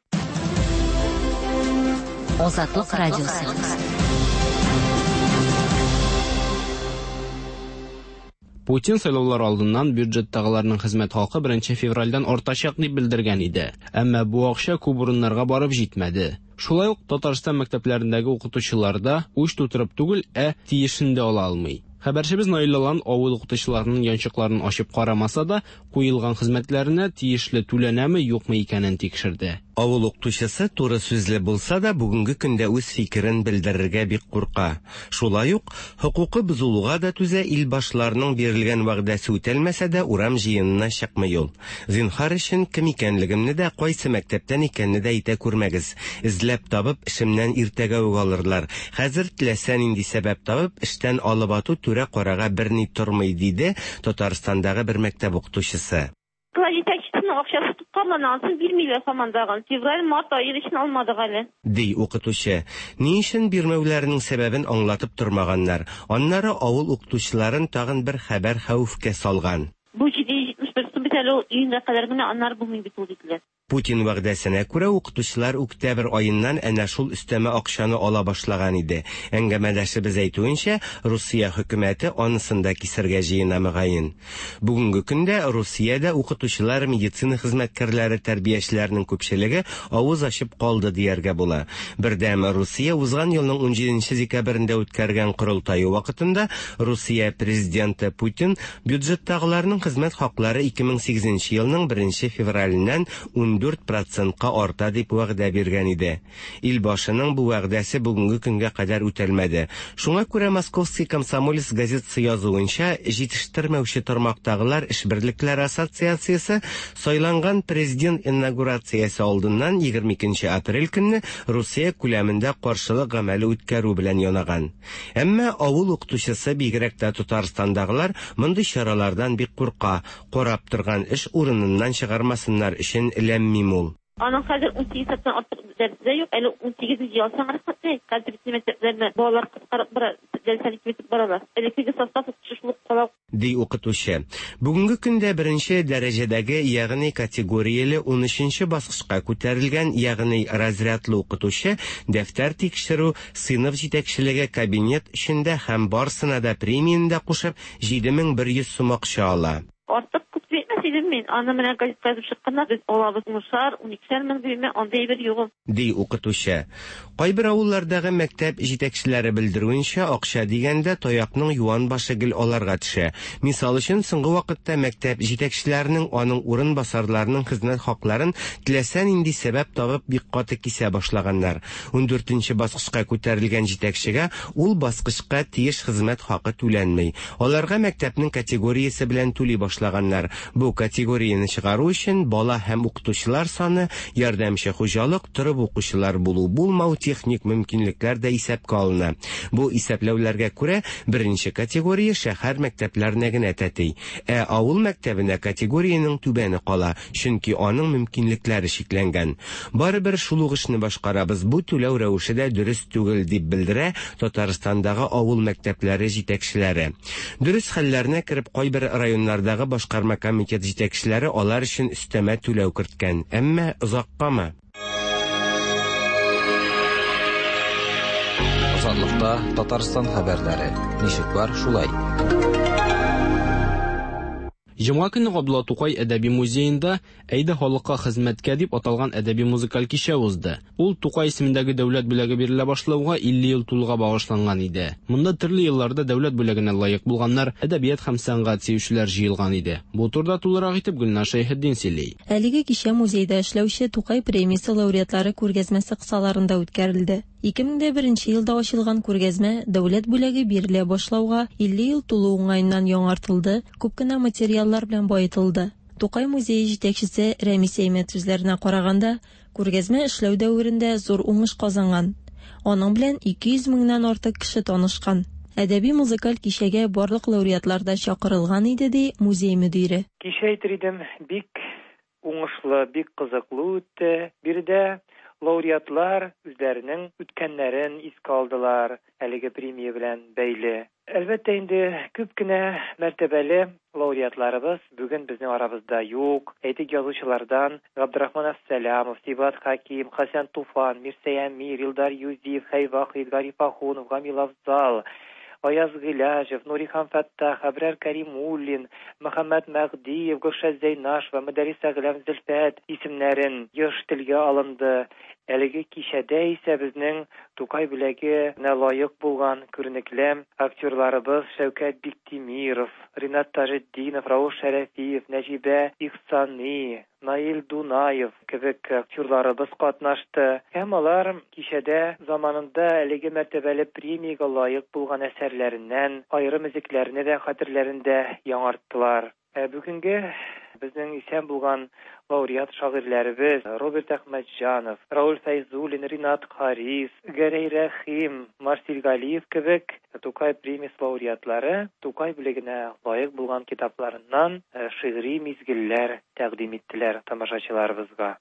Азатлык радиосы. Путин сайлаулар алдыннан бюджеттагыларның хезмәт хакы беренче февральдән артачак дип белдергән иде. Әмма бу акча күп урыннарга барып җитмәде. Шулай ук Татарстан мәктәпләрендәге укытучылар да уч тутырып түгел, ә тиешен дә ала алмый. Хәбәрчебез Наил Алан авыл укытучыларының янчыкларын ачып карамаса да, куелган хезмәтләренә тиешле түләнәме, юкмы икәнен тикшерде. Авыл укытучысы туры сүзле булса да, бүгенге көндә үз фикерен белдерергә бик курка. Шулай ук хокукы бозылуга да түзә, ил башларының бирелгән вәгъдәсе үтәлмәсә дә урам җыенына чыкмый ул. Зинһар өчен кем икәнлегемне дә, кайсы мәктәптән икәнне дә әйтә күрмәгез. Эзләп табып, эшемнән иртәгә үк алырлар. Хәзер теләсә нинди сәбәп табып, эштән алып ату түрә карага берни тормый, диде Татарстандагы бер мәктәп укытучысы. Җитәкчесенең акчасы тоткарлана, анысын бирмиләр һаман. Февраль, март ае өчен алмадык әле. Ди укытучы. Ни өчен бирмәүләренең сәбәбен аңлатып тормаганнар. Аннары авыл укытучыларын тагын бер хәбәр хәвефкә салган. Бу җиде йөз җитмеш бер сум бит әле ул июньгә кадәр генә, аннары булмый бит ул диделәр. Путин вәгъдәсенә күрә, укытучылар октябрь аеннан әнә шул өстәмә акчаны ала башлаган иде. Әңгәмәдәшебез әйтүенчә, Русия хөкүмәте анысын да кисәргә җыена мөгаен. Бүгенге көндә Русиядә укытучылар, медицина хезмәткәрләре, тәрбиячеләрнең күпчелеге авыз ачып калды дияргә була. Бердәм Русия узган елның унҗиденче декабрендә үткәргән корылтае вакытында Русия президенты Путин бюджеттагыларның хезмәт хаклары ике мең сигезенче елның беренче февраленнән ун дүрт процентка арта дип вәгъдә биргән иде. Илбашының бу вәгъдәсе бүгенге көнгә кадәр үтәлмәде. Шуңа күрә Московский комсомолец газетасы язуынча, җитештермәүче тармактагылар эш берлекләре ассоциациясе сайланган президент инаугурациясе алдыннан егерме икенче апрель көнне Русия күләмендә каршылык гамәле үткәрү белән янаган. Әмма авыл укытучысы, бигрәк тә Татарстандагылар, мондый чаралардан бик курка, карап торган эш урыныннан чыгармасыннар өчен ләм-мим ул. Аның хәзер ун сигез сәгатьтән артык дәресе дә юк, әле ун сигезенче ялсаң рәхмәт. Хәзер бит мәктәпләрдә балалар кыскарып бара, дәресләрне киметеп баралар. Элеккеге состав укытучы шул ук кала. Ди укытучы. Бүгенге көндә беренче дәрәҗәдәге, ягъни категорияле ун өченче баскычка күтәрелгән, ягъни разрядлы укытучы дәфтәр тикшерү, сыйныф җитәкчелеге кабинет эчендә һәм барсына да премияне дә кушып җиде мең бер йөз сум акча ала. Артык күп әйтмәс идем мин. Аны менә газетка язып чыкканда без алабыз унышар, уникешәр мең димме, андый бер юк. Ди укытучы. Кайбер авыллардагы мәктәп җитәкчеләре белдерүенчә, акча дигәндә таякның юан башы гел аларга төшә. Мисал өчен, соңгы вакытта мәктәп җитәкчеләренең, аның урынбасарларының хезмәт хакларын теләсә нинди сәбәп табып бик каты кисә башлаганнар. Ун дүртенче баскычка күтәрелгән җитәкчегә ул баскычка тиеш хезмәт хакы түләнми. Аларга мәктәпнең категориясе белән түли башлаганнар. Бу категорияне чыгару өчен бала һәм укытучылар саны, ярдәмче хуҗалык, торып укучылар булу булмау, техник мөмкинлекләр дә исәпкә алына. Бу исәпләүләргә күрә беренче категория шәһәр мәктәпләренә генә тәти. Ә авыл мәктәбенә категориянең түбәне кала, чөнки аның мөмкинлекләре чикләнгән. Барыбер шул ук эшне башкарабыз, бу түләү рәвеше дә дөрес түгел дип белдерә Татарстандагы авыл мәктәпләре җитәкчеләре. Дөрес хәлләренә кереп кайбер районнардагы башкарма комитет җитәкчеләре алар өчен өстәмә түләү керткән, әмма озаккамы? Азатлыкта Татарстан хәбәрләре. Ничек бар, шулай. Җомга көне Габдулла Тукай әдәби музеенда Әйдә халыкка хезмәткә дип аталган әдәби музыкаль кичә узды. Ул Тукай исемендәге дәүләт бүләге бирелә башлауга илле ел тулуга багышланган иде. Монда төрле елларда дәүләт бүләгенә лаек булганнар, әдәбият һәм сәнгать сөючеләр җыелган иде. Бу турыда тулырак итеп Гөлнар Шәйхетдин сөйли. Әлеге кичә музейда эшләүче Тукай премиясе лауреатлары күргәзмәсе кысаларында үткәрелде. Ике мең дә беренче елда ачылган күргәзмә дәүләт бүләге бирелә башлауга илле ел тулу уңаеннан яңартылды, күп кенә материаллар белән баетылды. Тукай музее җитәкчесе Рәмис Әймәт сүзләренә караганда, күргәзмә эшләү дәверендә зур уңыш казанган. Аның белән ике йөз меңнән артык кеше танышкан. Әдәби музыкаль кичәгә барлык лауреатлар да чакырылган иде, ди музей мөдире. Кичә әйтер идем, бик уңышлы, бик кызыклы үтте. Биредә лауреатлар үзләренең үткәннәрен искә алдылар, әлеге премия белән бәйле. Әлбәттә инде күп кенә мәртәбәле лауреатларыбыз бүген безнең арабызда юк. Әйтик, язучылардан Габдрахман Әфсәләмов, Сибгат Хәким, Хәсән Туфан, Мирсәй Әмир, Илдар Юзиев, Хәй Вахид, Гариф Ахунов, Гамил Афзал, Аяз Гыйләҗев, Нурихан Фәттах, Әбрар Каримуллин, Мөхәммәт Мәгъдиев, Гөлшат Зәйнашева, Мөдәррис Әгъләм Зөлфәт исемнәрен еш телгә алынды. Әлеге кичәдә исә безнең Тукай бүләгенә лаек булган күренекле актерларыбыз Шәүкәт Биктимиров, Ринат Таҗетдинов, Рауф Шәрәфиев, Нәҗибә Ихсани, Наил Дунаев кебек актерларыбыз катнашты. Һәм алар кичәдә заманында әлеге мәртәбәле премиягә лаек булган әсәрләреннән аерым өзекләрне дә хәтерләрендә яңарттылар. Ә бүгенге безнең исән булган лауреат шагыйрьләребез Роберт Әхмәтҗанов, Рауль Фәйзуллин, Ринат Харис, Гәрәй Рәхим, Марсил Галиев кебек Тукай премиясе лауреатлары Тукай бүләгенә лаек булган китапларыннан шигъри мизгелләр тәкъдим иттеләр тамашачыларыбызга.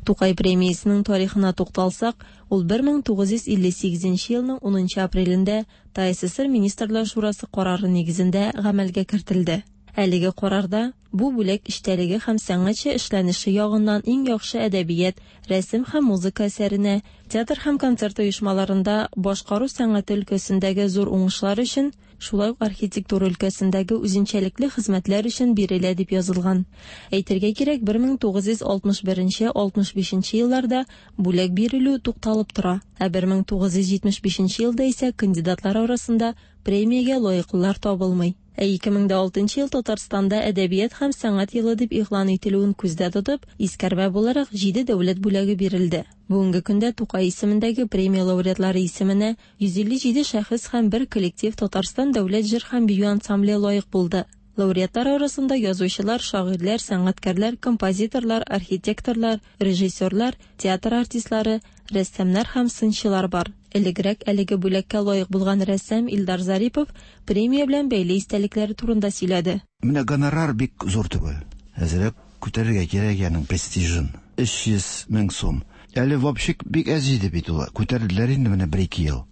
Тукай премиясенең тарихына тукталсак, ул бер мең тугыз йөз илле сигезенче елның унынчы апрелендә ТАССР Министрлар Шурасы карары нигезендә гамәлгә кертелде. Әлеге карарда бу бүләк эчтәлеге һәм сәнгатьчә эшләнеше ягыннан иң яхшы әдәбият, рәсем һәм музыка әсәренә, театр һәм концерт оешмаларында башкару сәнгате өлкәсендәге зур уңышлар өчен, шулай ук архитектура өлкәсендәге үзенчәлекле хезмәтләр өчен бирелә дип язылган. Әйтергә кирәк, бер мең тугыз йөз алтмыш беренче алтмыш бишенче елларда бүләк бирелү тукталып тора, ә бер мең тугыз йөз җитмеш бишенче елда исә кандидатлар арасында премиягә лаеклылар табылмый. Ә ике мең дә алтынчы ел Татарстанда әдәбият һәм сәнгать елы дип игълан ителүен күздә тотып, искәрмә буларак җиде дәүләт бүләге бирелде. Бүгенге көндә Тукай исемендәге премия лауреатлары исеменә йөз илле җиде шәхес һәм бер коллектив Татарстан дәүләт җыр һәм бию ансамбле лаек булды. Лауреатлар арасында язучылар, шагыйрьләр, сәнгатькәрләр, композиторлар, архитекторлар, режиссерлар, театр артистлары, рәссамнар һәм сынчылар бар. Элегрәк әлеге бүләккә лаек булган рәссам Илдар Зарипов премия белән бәйле истәлекләре турында сөйләде. Менә гонорар бик зур түгел. Әзрәк күтәрергә кирәк аның престижын. Өч йөз мең сум. Әле вообще бик әз иде бит ул. Күтәрделәр инде менә бер-ике ел.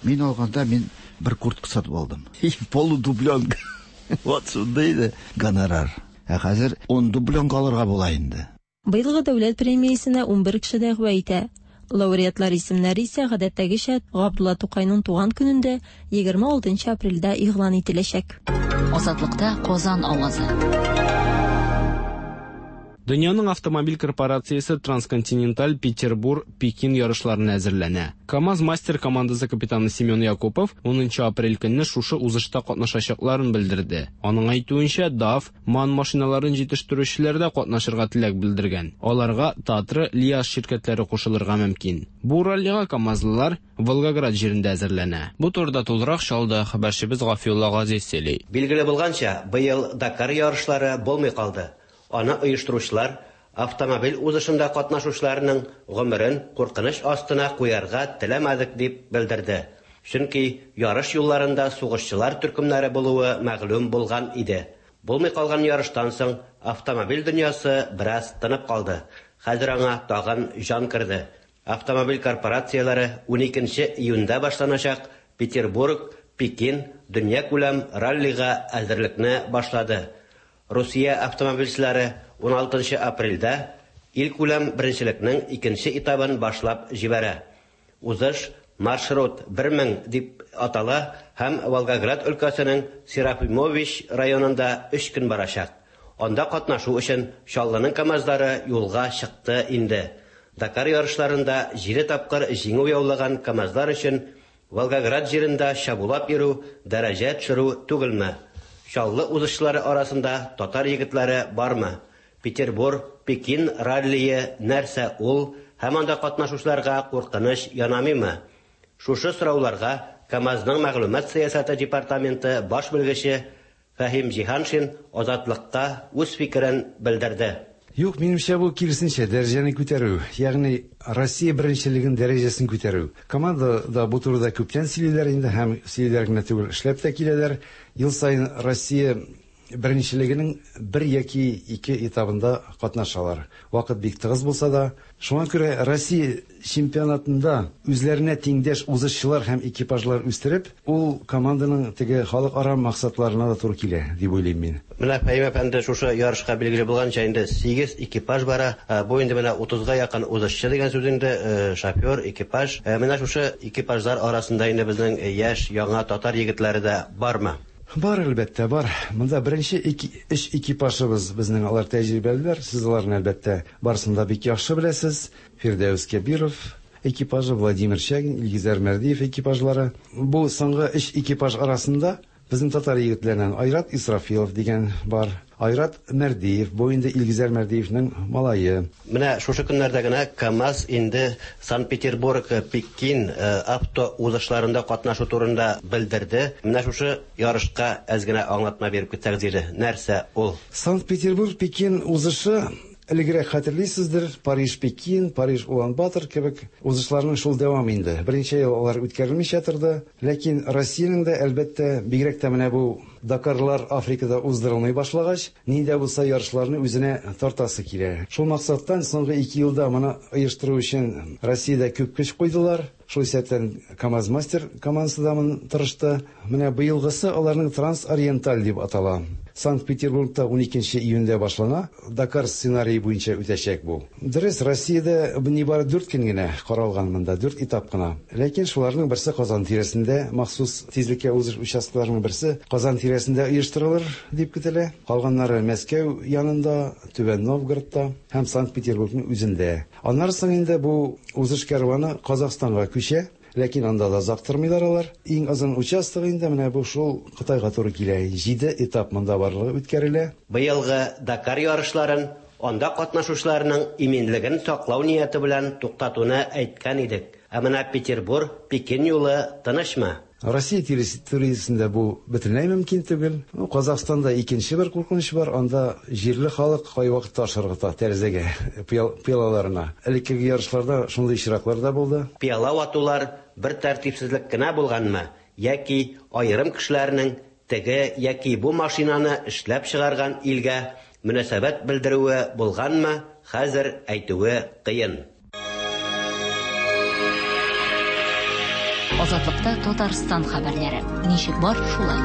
Мин алганда мин бер куртка сатып алдым. Полудубленка. Вот шундый иде гонорар. Ә хәзер ун дубленка алырга була инде. Быелгы дәүләт премиясенә ун бер кеше дәгъва итә. Лауреатлар исемнәре исә гадәттәгечә Габдулла Тукайның туган көнендә егерме алтынчы апрельдә игълан ителәчәк. Азатлыкта Казан авазы. Дөньяның автомобиль корпорациясе Трансконтиненталь Петербург Пекин ярышларына әзерләнә. КАМАЗ мастер командасы капитаны Семен Якупов унынчы апрель көнне шушы узышта катнашачакларын белдерде. Аның әйтүенчә, ДАФ, МАН машиналарын җитештерүчеләр дә катнашырга теләк белдергән. Аларга Татра, Лиаз ширкәтләре кушылырга мөмкин. Бу раллига КАМАЗлылар Волгоград җирендә әзерләнә. Бу турыда тулырак Чаллыда хәбәрчебез Гафиулла Газиз сөйли. Билгеле булганча, быел Дакар ярышлары булмый калды. Аны оештыручылар автомобиль узышында катнашучыларның гомерен куркыныч астына куярга теләмәдек дип белдерде. Чөнки ярыш юлларында сугышчылар төркемнәре булуы мәгълүм булган иде. Булмый калган ярыштан соң автомобиль дөньясы бераз тынып калды. Хәзер аңа тагын җан керде. Автомобиль корпорацияләре уникенче июньдә башланачак Петербург, Пекин дөнья күләм раллига әзерлекне башлады. Русия автомобильчеләре уналтынчы апрельдә ил күләм беренчелекнең икенче этабын башлап җибәрә. Узыш маршрут бер мең дип атала һәм Волгоград өлкәсенең Серафимович районында өч көн барачак. Анда катнашу өчен Чаллының КАМАЗлары юлга чыкты инде. Дакар ярышларында җиде тапкыр җиңү яулаган КАМАЗлар өчен Волгоград җирендә чабулап йөрү дәрәҗә төшерү түгелме? Чаллы узышлары арасында татар егетләре бармы? Петербург, Пекин раллие нәрсә ул һәм анда катнашучыларга куркыныч янамыймы? Шушы сорауларга КАМАЗның мәгълүмат сәясәте департаменты баш белгече Фәһим Җиһаншин Азатлыкка үз фикерен белдерде. Юк, минемчә бу киресенчә дәрәҗәне күтәрү, ягъни Россия беренчелеген дәрәҗәсен күтәрү. Командада бу турыда күптән сөйлиләр инде һәм сөйлиләр генә түгел, эшләп тә киләләр. Ел саен Россия беренчелегенең бер яки ике этабында катнашалар. Вакыт бик тыгыз булса да, шуңа күрә Россия чемпионатында үзләренә тиңдәш узышчылар һәм экипажлар үстереп, ул команданың теге халыкара максатларына да туры килә дип уйлыйм мин. Менә Фәһим әфәнде, шушы ярышка билгеле булганча инде сигез экипаж бара. Бу инде менә утызга якын узышчы дигән сүз инде, шофер, экипаж. Менә шушы экипажлар арасында инде безнең яшь, яңа татар егетләре дә бармы? Бар, әлбәттә, бар. Монда беренче өч экипажыбыз безнең, алар тәҗрибәлеләр. Сез аларны әлбәттә барысын да бик яхшы беләсез. Фирдәүс Кәбиров экипажы, Владимир Чагин, Илгизәр Мәрдиев экипажлары. Бу соңгы өч экипаж арасында безнең татар егетләреннән Айрат Исрафилов дигән бар. Айрат Мәрдиев, бу инде Илгизәр Мәрдиевнең малае. Менә шушы көннәрдә генә КАМАЗ инде Санкт-Петербург, Пекин авто узышларында катнашу турында белдерде. Менә шушы ярышка әз генә аңлатма биреп китсәгез иде. Нәрсә ул? Санкт-Петербург, Пекин узышы элегрәк хәтерлисездер, Париж, Пекин, Париж, Улан-Батор кебек узышларның шул дәвам инде. Берничә ел алар үткәрелмичә торды, ләкин Россиянең дә әлбәттә, бигрәк тә менә бу Дакарлар Африкада уздырылмый башлагач, нинди булса ярышларны үзенә тартасы килә. Шул максаттан соңгы ике елда моны оештыру өчен Россиядә күп көч куйдылар. Шул исәптән КАМАЗ мастер командасы да моны тырышты. Менә быелгысы аларның Трансориенталь дип атала. Санкт-Петербургта уникенче июньдә башлана. Дакар сценарие буенча үтәчәк бу. Дөрес, Россиядә нибары дүрт көн генә каралган монда, дүрт этап кына. Ләкин шуларның берсе Казан тирәсендә, махсус тизлеккә узыш участокларының берсе Казан тирәсендә оештырылыр дип көтелә. Калганнары Мәскәү янында, Түбән Новгородта һәм Санкт-Петербургның үзендә. Аннары соң инде бу узыш кәрваны Казахстанга күчә. Ләкин анда да озак тормыйлар алар. Иң озын участок инде менә бу шул Кытайга туры килә. Җиде этап монда барлыгы үткәрелә. Быелгы Дакар ярышларын анда катнашучыларның иминлеген саклау нияте белән туктатуны әйткән идек. Ә менә Петербург, Пекин юлы тынычмы? Россия территориясендә бу бөтенләй мөмкин түгел. Казахстанда икенче бер куркыныч бар. Анда җирле халык кайвакыт таш ыргыта тәрәзәгә, пыялаларына. Элеккеге ярышларда шундый очраклар да булды. Пыяла ватулар бер тәртипсезлек кенә булганмы, яки аерым кешеләрнең теге яки бу машинаны эшләп чыгарган илгә мөнәсәбәт белдерүе булганмы, хәзер әйтүе кыен. Азатлыкта Татарстан хәбәрләре. Ничек бар, шулай.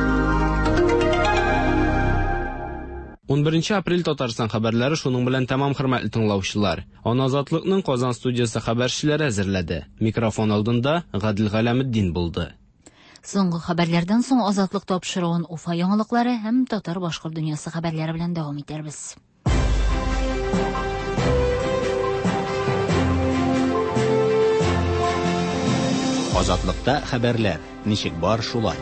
Унберенче апрель Татарстан хәбәрләре шуның белән тәмам, хөрмәтле тыңлаучылар. Аны Азатлыкның Казан студиясе хәбәрчеләре әзерләде. Микрофон алдында Гадел Галәметдин булды. Соңгы хәбәрләрдән соң Азатлык тапшыруын Уфа яңалыклары һәм татар-башкорт дөньясы хәбәрләре белән дәвам итәрбез. Азатлыкта хәбәрләр. Ничек бар, шулай.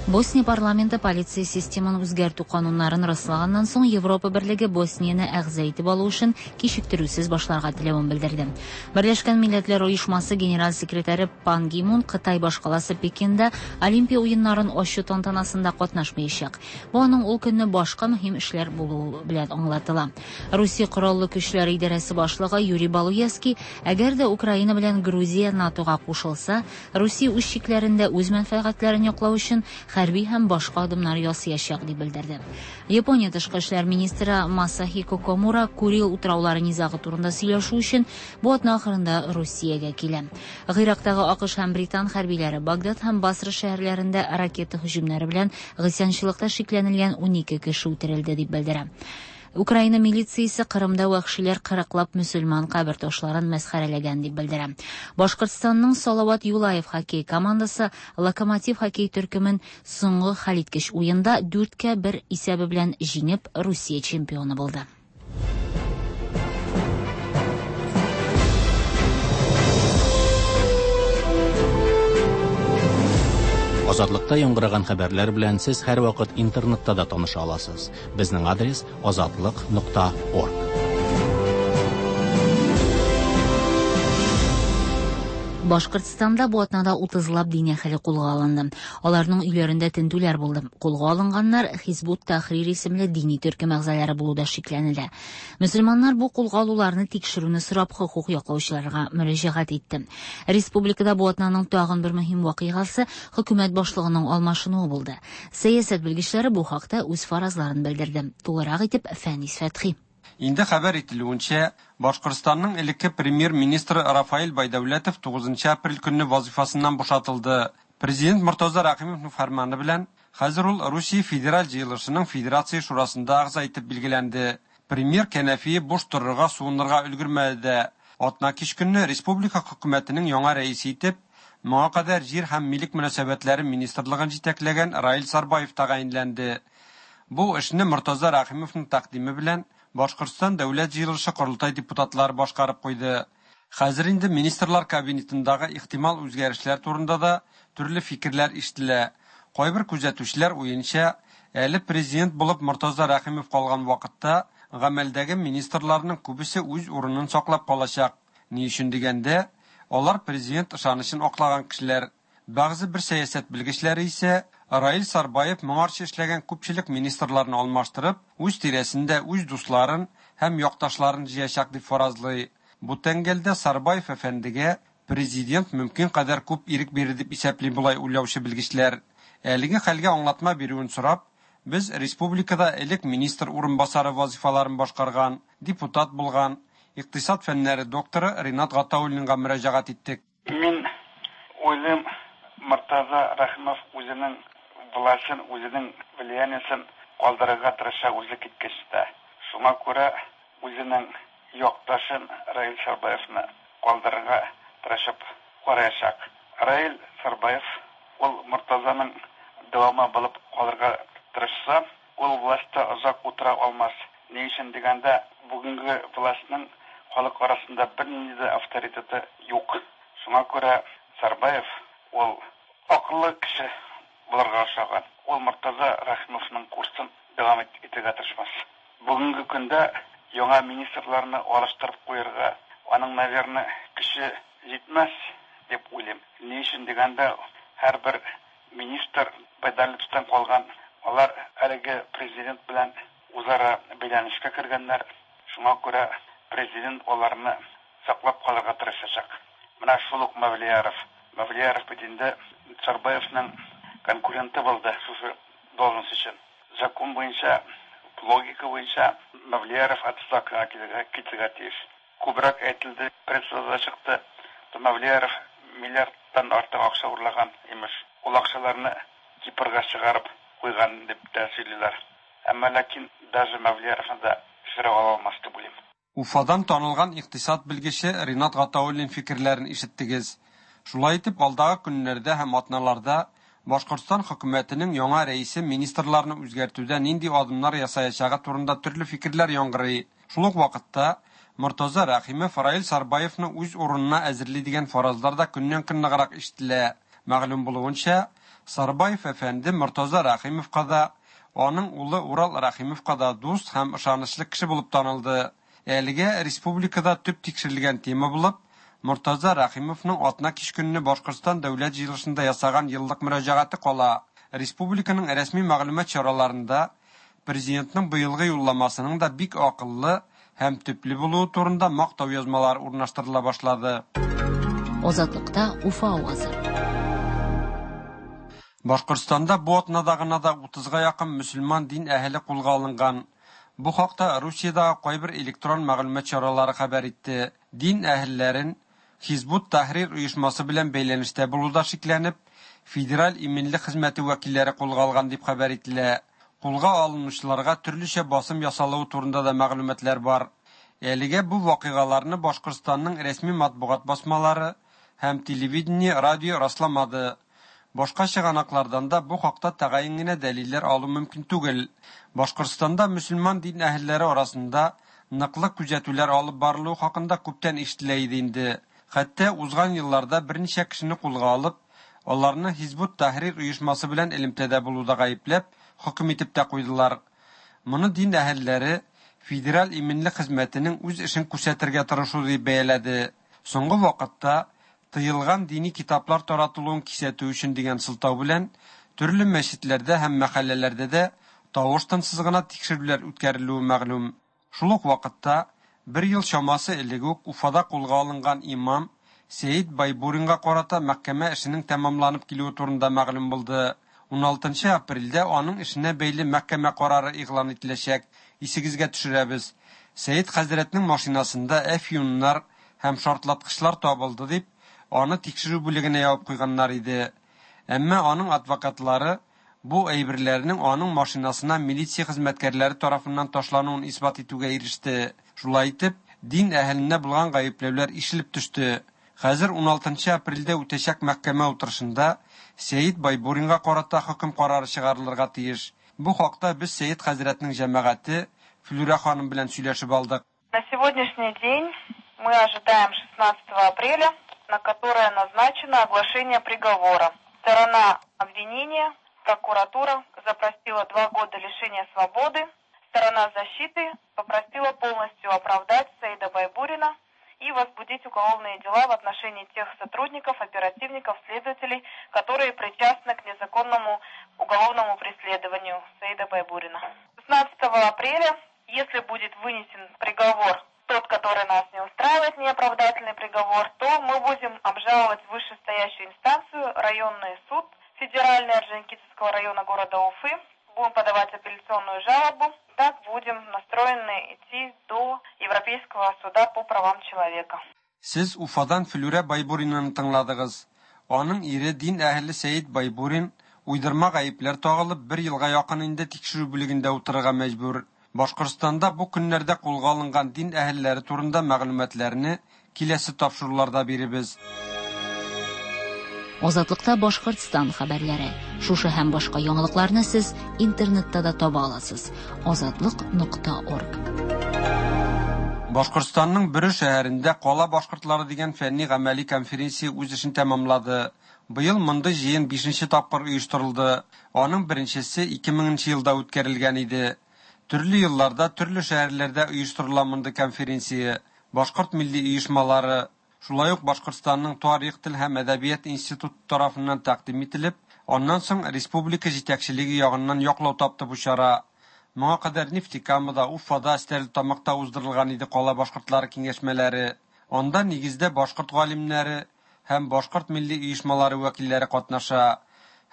Босния парламенты полиция системын үзгәртү кануннарын раслаганнан соң Европа берлеге Боснияне әгъза итеп алу өчен кичектерүсез башларга теләвен белдерде. Берләшкән Милләтләр Оешмасы генераль секретаре Пан Ги Мун Кытай башкаласы Пекинда Олимпия уеннарын ачу тантанасында катнашмаячак. Бу аның ул көнне башка мөһим эшләр булуы белән аңлатыла. Русия Кораллы Көчләре идарәсе башлыгы Юрий Балуевский, әгәр дә Украина белән Грузия НАТОга кушылса, Русия үз чикләрендә үз мәнфәгатьләрен яклау өчен хәрби һәм башка адымнар ясаячак дип белдерде. Япония тышкы эшләр министры Масахико Комура Курил утраулары низагы турында сөйләшү өчен бу атна ахырында Русиягә килә. Гыйрактагы АКШ һәм Британ хәрбиләре Багдад һәм Басра шәһәрләрендә ракета һөҗүмнәре белән гыйсьянчылыкта шикләнелгән унике кеше үтерелде дип белдерә. Украина милициясе Кырымда вәхшиләр кырыклап мөселман кабер ташларын мәсхәрәләгән дип белдерә. Башкортстанның Салават Юлаев хоккей командасы Локомотив хоккей төркемен соңгы хәлиткеч уенда дүрткә бер исәбе белән җиңеп Русия чемпионы булды. Азатлыкта яңгыраган хәбәрләр белән сез һәрвакыт интернетта да таныша аласыз. Безнең адрес азатлык нокта орг. Башкортстанда бу атнада утызлап дин әһеле кулга алынды. Аларның өйләрендә тентүләр булды. Кулга алынганнар Хизбут Тахрир исемле дини төркем әгъзалары булуда шикләнелә. Мөселманнар бу кулга алуларны тикшерүне сорап хокук яклаучыларга мөрәҗәгать итте. Республикада бу атнаның тагын бер мөһим вакыйгасы хөкүмәт башлыгының алмашынуы булды. Сәясәт белгечләре бу хакта үз фаразларын белдерде. Тулырак итеп Фәнис Фәтхи. Инде хәбәр ителүенчә, Башкортстанның элекке премьер-министры Рафаэль Байдәүләтов тугызынчы апрель көнне вазифасыннан бушатылды. Президент Мортаза Рәхимовның фәрманы белән хәзер ул Русия Федераль җыелышының Федерация шурасында әгъза итеп билгеләнде. Премьер кәнәфие буш торырга, суынырга өлгермәде дә. Атна кич көнне республика хөкүмәтенең яңа рәисе итеп моңа кадәр җир һәм милек мөнәсәбәтләре министрлыгын җитәкләгән Раил Сарбаев тәгаенләнде. Бу эшне Мортаза Рәхимовның тәкъдиме белән Башкортстан Дәүләт җыелышы корылтай депутатлары башкарып куйды. Хәзер инде министрлар кабинетындагы ихтимал үзгәрешләр турында да төрле фикерләр ишетелә. Кайбер күзәтүчеләр уенча, әле президент булып Мортаза Рәхимов калган вакытта гамәлдәге министрларның күбесе үз урынын саклап калачак. Ни өчен дигәндә, алар президент ышанычын аклаган кешеләр. Бәгъзе бер сәясәт белгечләре исә Раил Сарбаев моңарчы эшләгән күпчелек министрларны алмаштырып, үз тирәсендә үз дусларын һәм якташларын җыячак дип фаразлый. Бу тәңгәлдә Сарбаев әфәндегә президент мөмкин кадәр күп ирек бирер дип исәпли болай уйлаучы белгечләр. Әлеге хәлгә аңлатма бирүен сорап, без республикада элек министр урынбасары вазифаларын башкарган, депутат булган, икътисад фәннәре докторы Ринат Гатауллинга мөрәҗәгать иттек. Мин уйлыйм, Мортаза Рәхимов үзенең властен, үзенең влияниесен калдырырга тырыша үзе киткәч тә. Шуңа күрә үзенең якташын Раил Сарбаевны калдырырга тырышып караячак. Раил Сарбаев ул Мортазаның дәвамы булып калырга тырышса, ул властьта озак утыра алмас. Ни өчен дигәндә, бүгенге властьның халык арасында бернинди дә авторитеты юк. Шуңа күрә Сарбаев ул акыллы кеше булырга охшаган. Ул Мортаза Рәхимовның курсын дәвам итәргә тырышмас. Бүгенге көндә яңа министрларны алыштырып куярга аның, наверное, көче җитмәс дип уйлыйм. Ни өчен дигәндә, һәрбер министр Байдалевтан калган, алар әлеге президент белән үзара бәйләнешкә кергәннәр. Шуңа күрә президент аларны саклап калырга тырышачак. Менә шул ук Мавлияров. Мавлияров бит инде Сарбаевның конкуренты булды шушы должность өчен. Закон буенча, логика буенча Мавлияров отставкага килергә китергә тиеш. Күбрәк әйтелде, прессада чыкты. Мавлияров миллиардтан артык акча урлаган имеш. Ул акчаларны Кипрга чыгарып куйган дип тә сөйлиләр. Әмма ләкин даже Мавлияровны да төшерә ала алмас дип уйлыйм. Уфадан танылган икътисад белгече Ринат Гатауллин фикерләрен ишеттегез. Шулай итеп, алдагы көннәрдә һәм атналарда Башкортстан хөкүмәтенең яңа рәисе министрларны үзгәртүдә нинди адымнар ясаячагы турында төрле фикерләр яңгырый. Шул ук вакытта Мортаза Рәхимов Раил Сарбаевны үз урынына әзерли дигән фаразлар да көннән-көн ныграк ишетелә. Мәгълүм булуынча, Сарбаев әфәнде Мортаза Рәхимовка да, аның улы Урал Рәхимовка да дус һәм ышанычлы кеше булып танылды. Әлегә республикада төп тикшерелгән тема булып, Мортаза Рәхимовның атна кич көнне Башкортстан дәүләт җыелышында ясаган еллык мөрәҗәгате кала. Республиканың рәсми мәгълүмат чараларында президентның быелгы юлламасының да бик акыллы һәм төпле булуы турында мактау язмалары урнаштырыла башлады. Азатлыкта Уфа авазы. Башкортстанда бу атнада гына да утызга якын мөселман дин әһеле кулга алынган. Бу хакта Русиядәге кайбер электрон мәгълүмат чаралары хәбәр итте. Дин әһелләрен Хизбут Тахрир оешмасы белән бәйләнештә булуда шикләнеп, Федераль иминлек хезмәте вәкилләре кулга алган дип хәбәр ителә. Кулга алынучыларга төрлечә басым ясалуы турында да мәгълүматлар бар. Әлегә бу вакыйгаларны Башкортстанның рәсми матбугат басмалары һәм телевидение, радио расламады. Башка чыганаклардан да бу хакта тәгаен генә дәлилләр алу мөмкин түгел. Башкортстанда мөселман дин әһелләре арасында ныклы күзәтүләр алып барылуы хакында күптән ишетелә иде инде. Хәтта узган елларда берничә кешене кулга алып, аларны Хизбут Тахрир оешмасы белән элемтәдә булуда гаепләп, хөкем итеп тә куйдылар. Моны дин әһелләре Федераль иминлек хезмәтенең үз эшен күрсәтергә тырышу дип бәяләде. Соңгы вакытта тыелган дини китаплар таратылуын кисәтү өчен дигән сылтау белән төрле мәчетләрдә һәм мәхәлләләрдә дә тавыш-тынсыз гына тикшерүләр үткәрелүе мәгълүм. Шул ук вакытта бер ел чамасы элек үк Уфада кулга алынган имам Сәид Байбуринга карата мәхкәмә эшенең тәмамланып килүе турында мәгълүм булды. Уналтынчы апрельдә аның эшенә бәйле мәхкәмә карары игълан ителәчәк. Исегезгә төшерәбез. Сәид хәзрәтнең машинасында әфьюннар һәм шартлаткычлар табылды дип, аны тикшерү бүлегенә ябып куйганнар иде. Әмма аның адвокатлары бу әйберләрнең аның машинасына милиция хезмәткәрләре тарафыннан ташлануын исбат итүгә иреште. Шулай итеп, дин әһеленә булган гаепләүләр ишелеп төште. Хәзер уналтынчы апрельдә үтәчәк мәхкәмә утырышында Сәид Байбуринга карата хөкем карары чыгарылырга тиеш. Бу хакта без Сәид хәзрәтнең җәмәгате Флюра ханым белән сөйләшеп алдык. На сегодняшний день мы ожидаем шестнадцатого апреля, на которое назначено оглашение приговора. Сторона обвинения, прокуратура, запросила два года лишения свободы. Сторона защиты попросила полностью оправдать Саида Байбурина и возбудить уголовные дела в отношении тех сотрудников, оперативников, следователей, которые причастны к незаконному уголовному преследованию Саида Байбурина. шестнадцатого апреля, если будет вынесен приговор, тот, который нас не устраивает, неоправдательный приговор, то мы будем обжаловать вышестоящую инстанцию, районный суд Федеральный Орджоникидзевского района города Уфы. Будем подавать апелляционную жалобу. Так будем настроены идти до Европейского суда по правам человека. Сез Уфадан Флюра Байбуринаны тыңладыгыз. Аның ире дин әһеле Сәид Байбурин Уйдырма гаепләр тагылып, бер елга якын инде тикшерү бүлегендә утырырга мәҗбүр. Башкортстанда бу көннәрдә кулга алынган дин әһелләре турында мәгълүматларны киләсе тапшыруларда биребез. Азатлыкта Башкортстан хәбәрләре. Шушы һәм башка яңалыкларны сез интернетта да таба аласыз. Азатлык нокта орг. Башкортстанның Бөре шәһәрендә Кала башкортлары дигән фәнни гамәли конференция үз эшен тәмамлады. Быел мондый җыен бишенче тапкыр оештырылды. Аның беренчесе ике меңенче елда үткәрелгән иде. Төрле елларда төрле шәһәрләрдә оештырыла мондый конференция. Башкорт милли оешмалары, шулай ук Башкортстанның тарих, тел һәм әдәбият институты тарафыннан тәкъдим ителеп, аннан соң республика җитәкчелеге ягыннан яклау тапты бу чара. Моңа кадәр Нефтекамада, Уфада, Стәрлетамакта уздырылган иде кала башкортлары киңәшмәләре. Анда нигездә башкорт галимнәре һәм башкорт милли оешмалары вәкилләре катнаша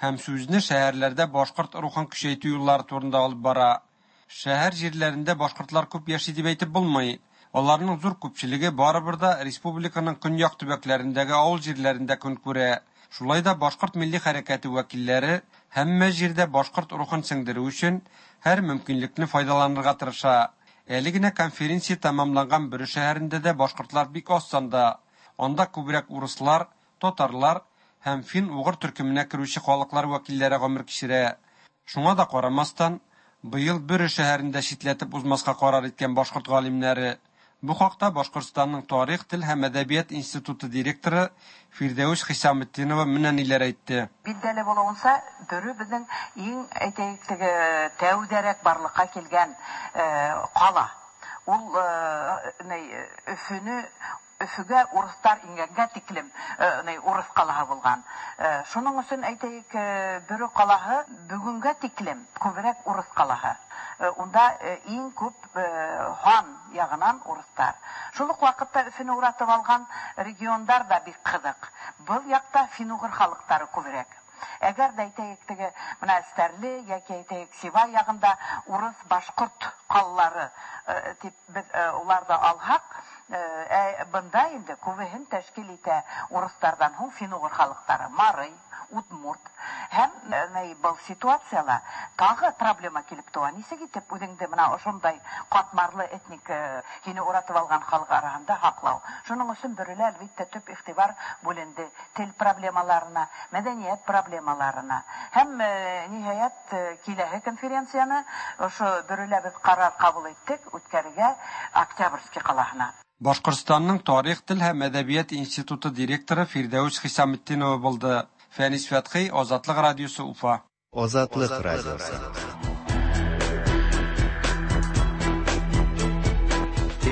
һәм сүзне шәһәрләрдә башкорт рухын көчәйтү юллары турында алып бара. Шәһәр җирләрендә башкортлар күп яши дип әйтеп булмый. Аларның зур күпчелеге барыбер да республиканың көньяк төбәкләрендәге авыл җирләрендә көн күрә. Шулай да башкорт милли хәрәкәте вәкилләре һәммә җирдә башкорт рухын сеңдерү өчен һәр мөмкинлекне файдаланырга тырыша. Әле генә конференция тәмамланган Бөре шәһәрендә дә башкортлар бик аз санда. Анда күбрәк урыслар, татарлар һәм фин-угыр төркеменә керүче халыклар вәкилләре гомер кичерә. Шуңа да карамастан, быел Бөре шәһәрендә читләтеп узмаска карар иткән башкорт галимнәре. Бу хакта Башкортстанның тарих, тел һәм әдәбият институты директоры Фирдәүс Хисаметдинова менә ниләр әйтте. Билгеле булуынча, Бөре безнең иң әйтәйек теге тәүдәрәк барлыкка килгән кала. Ул Өфөне Өфөгә урыслар ингәнгә тиклем урыс калаһы булган. Шуның өчен әйтәйек, Бөре калаһы бүгенгә тиклем күбрәк урыс калаһы. Унда иң күп хан ягынан урыслар. Шул ук вакытта Өфөнө уратып алган региондар да бик кызык. Был якта фин-угыр халыклары күбрәк. Әгәр дә әйтәйек теге менә Стәрле яки әйтәйек Сибай ягында урыс башкорт калалары дип без уларда алһак, бында инде күбеһен тәшкил итә урыслардан һуң фин-угыр халыклары, Марый, Удмурт. Һәм был ситуацияла тагы проблема килеп туа. Нисек итеп үҙеңде менә ошондай катмарлы этник һине уратып алган халык араһында һаклау. Шуның өсөн Бөрелә әлбиттә төп игътибар бүленде тел проблемаларына, мәдәният проблемаларына. Һәм ниһаять киләһе конференцияне ошо Бөрелә без карар кабул иттек үткәрергә Октябрьский калаһына. Башкортстанның тарих, тел һәм әдәбият институты директоры Фирдәүс Хисаметдинова булды. Фәнис Фәтхи, Азатлык радиосы, Уфа. Азатлык радиосы.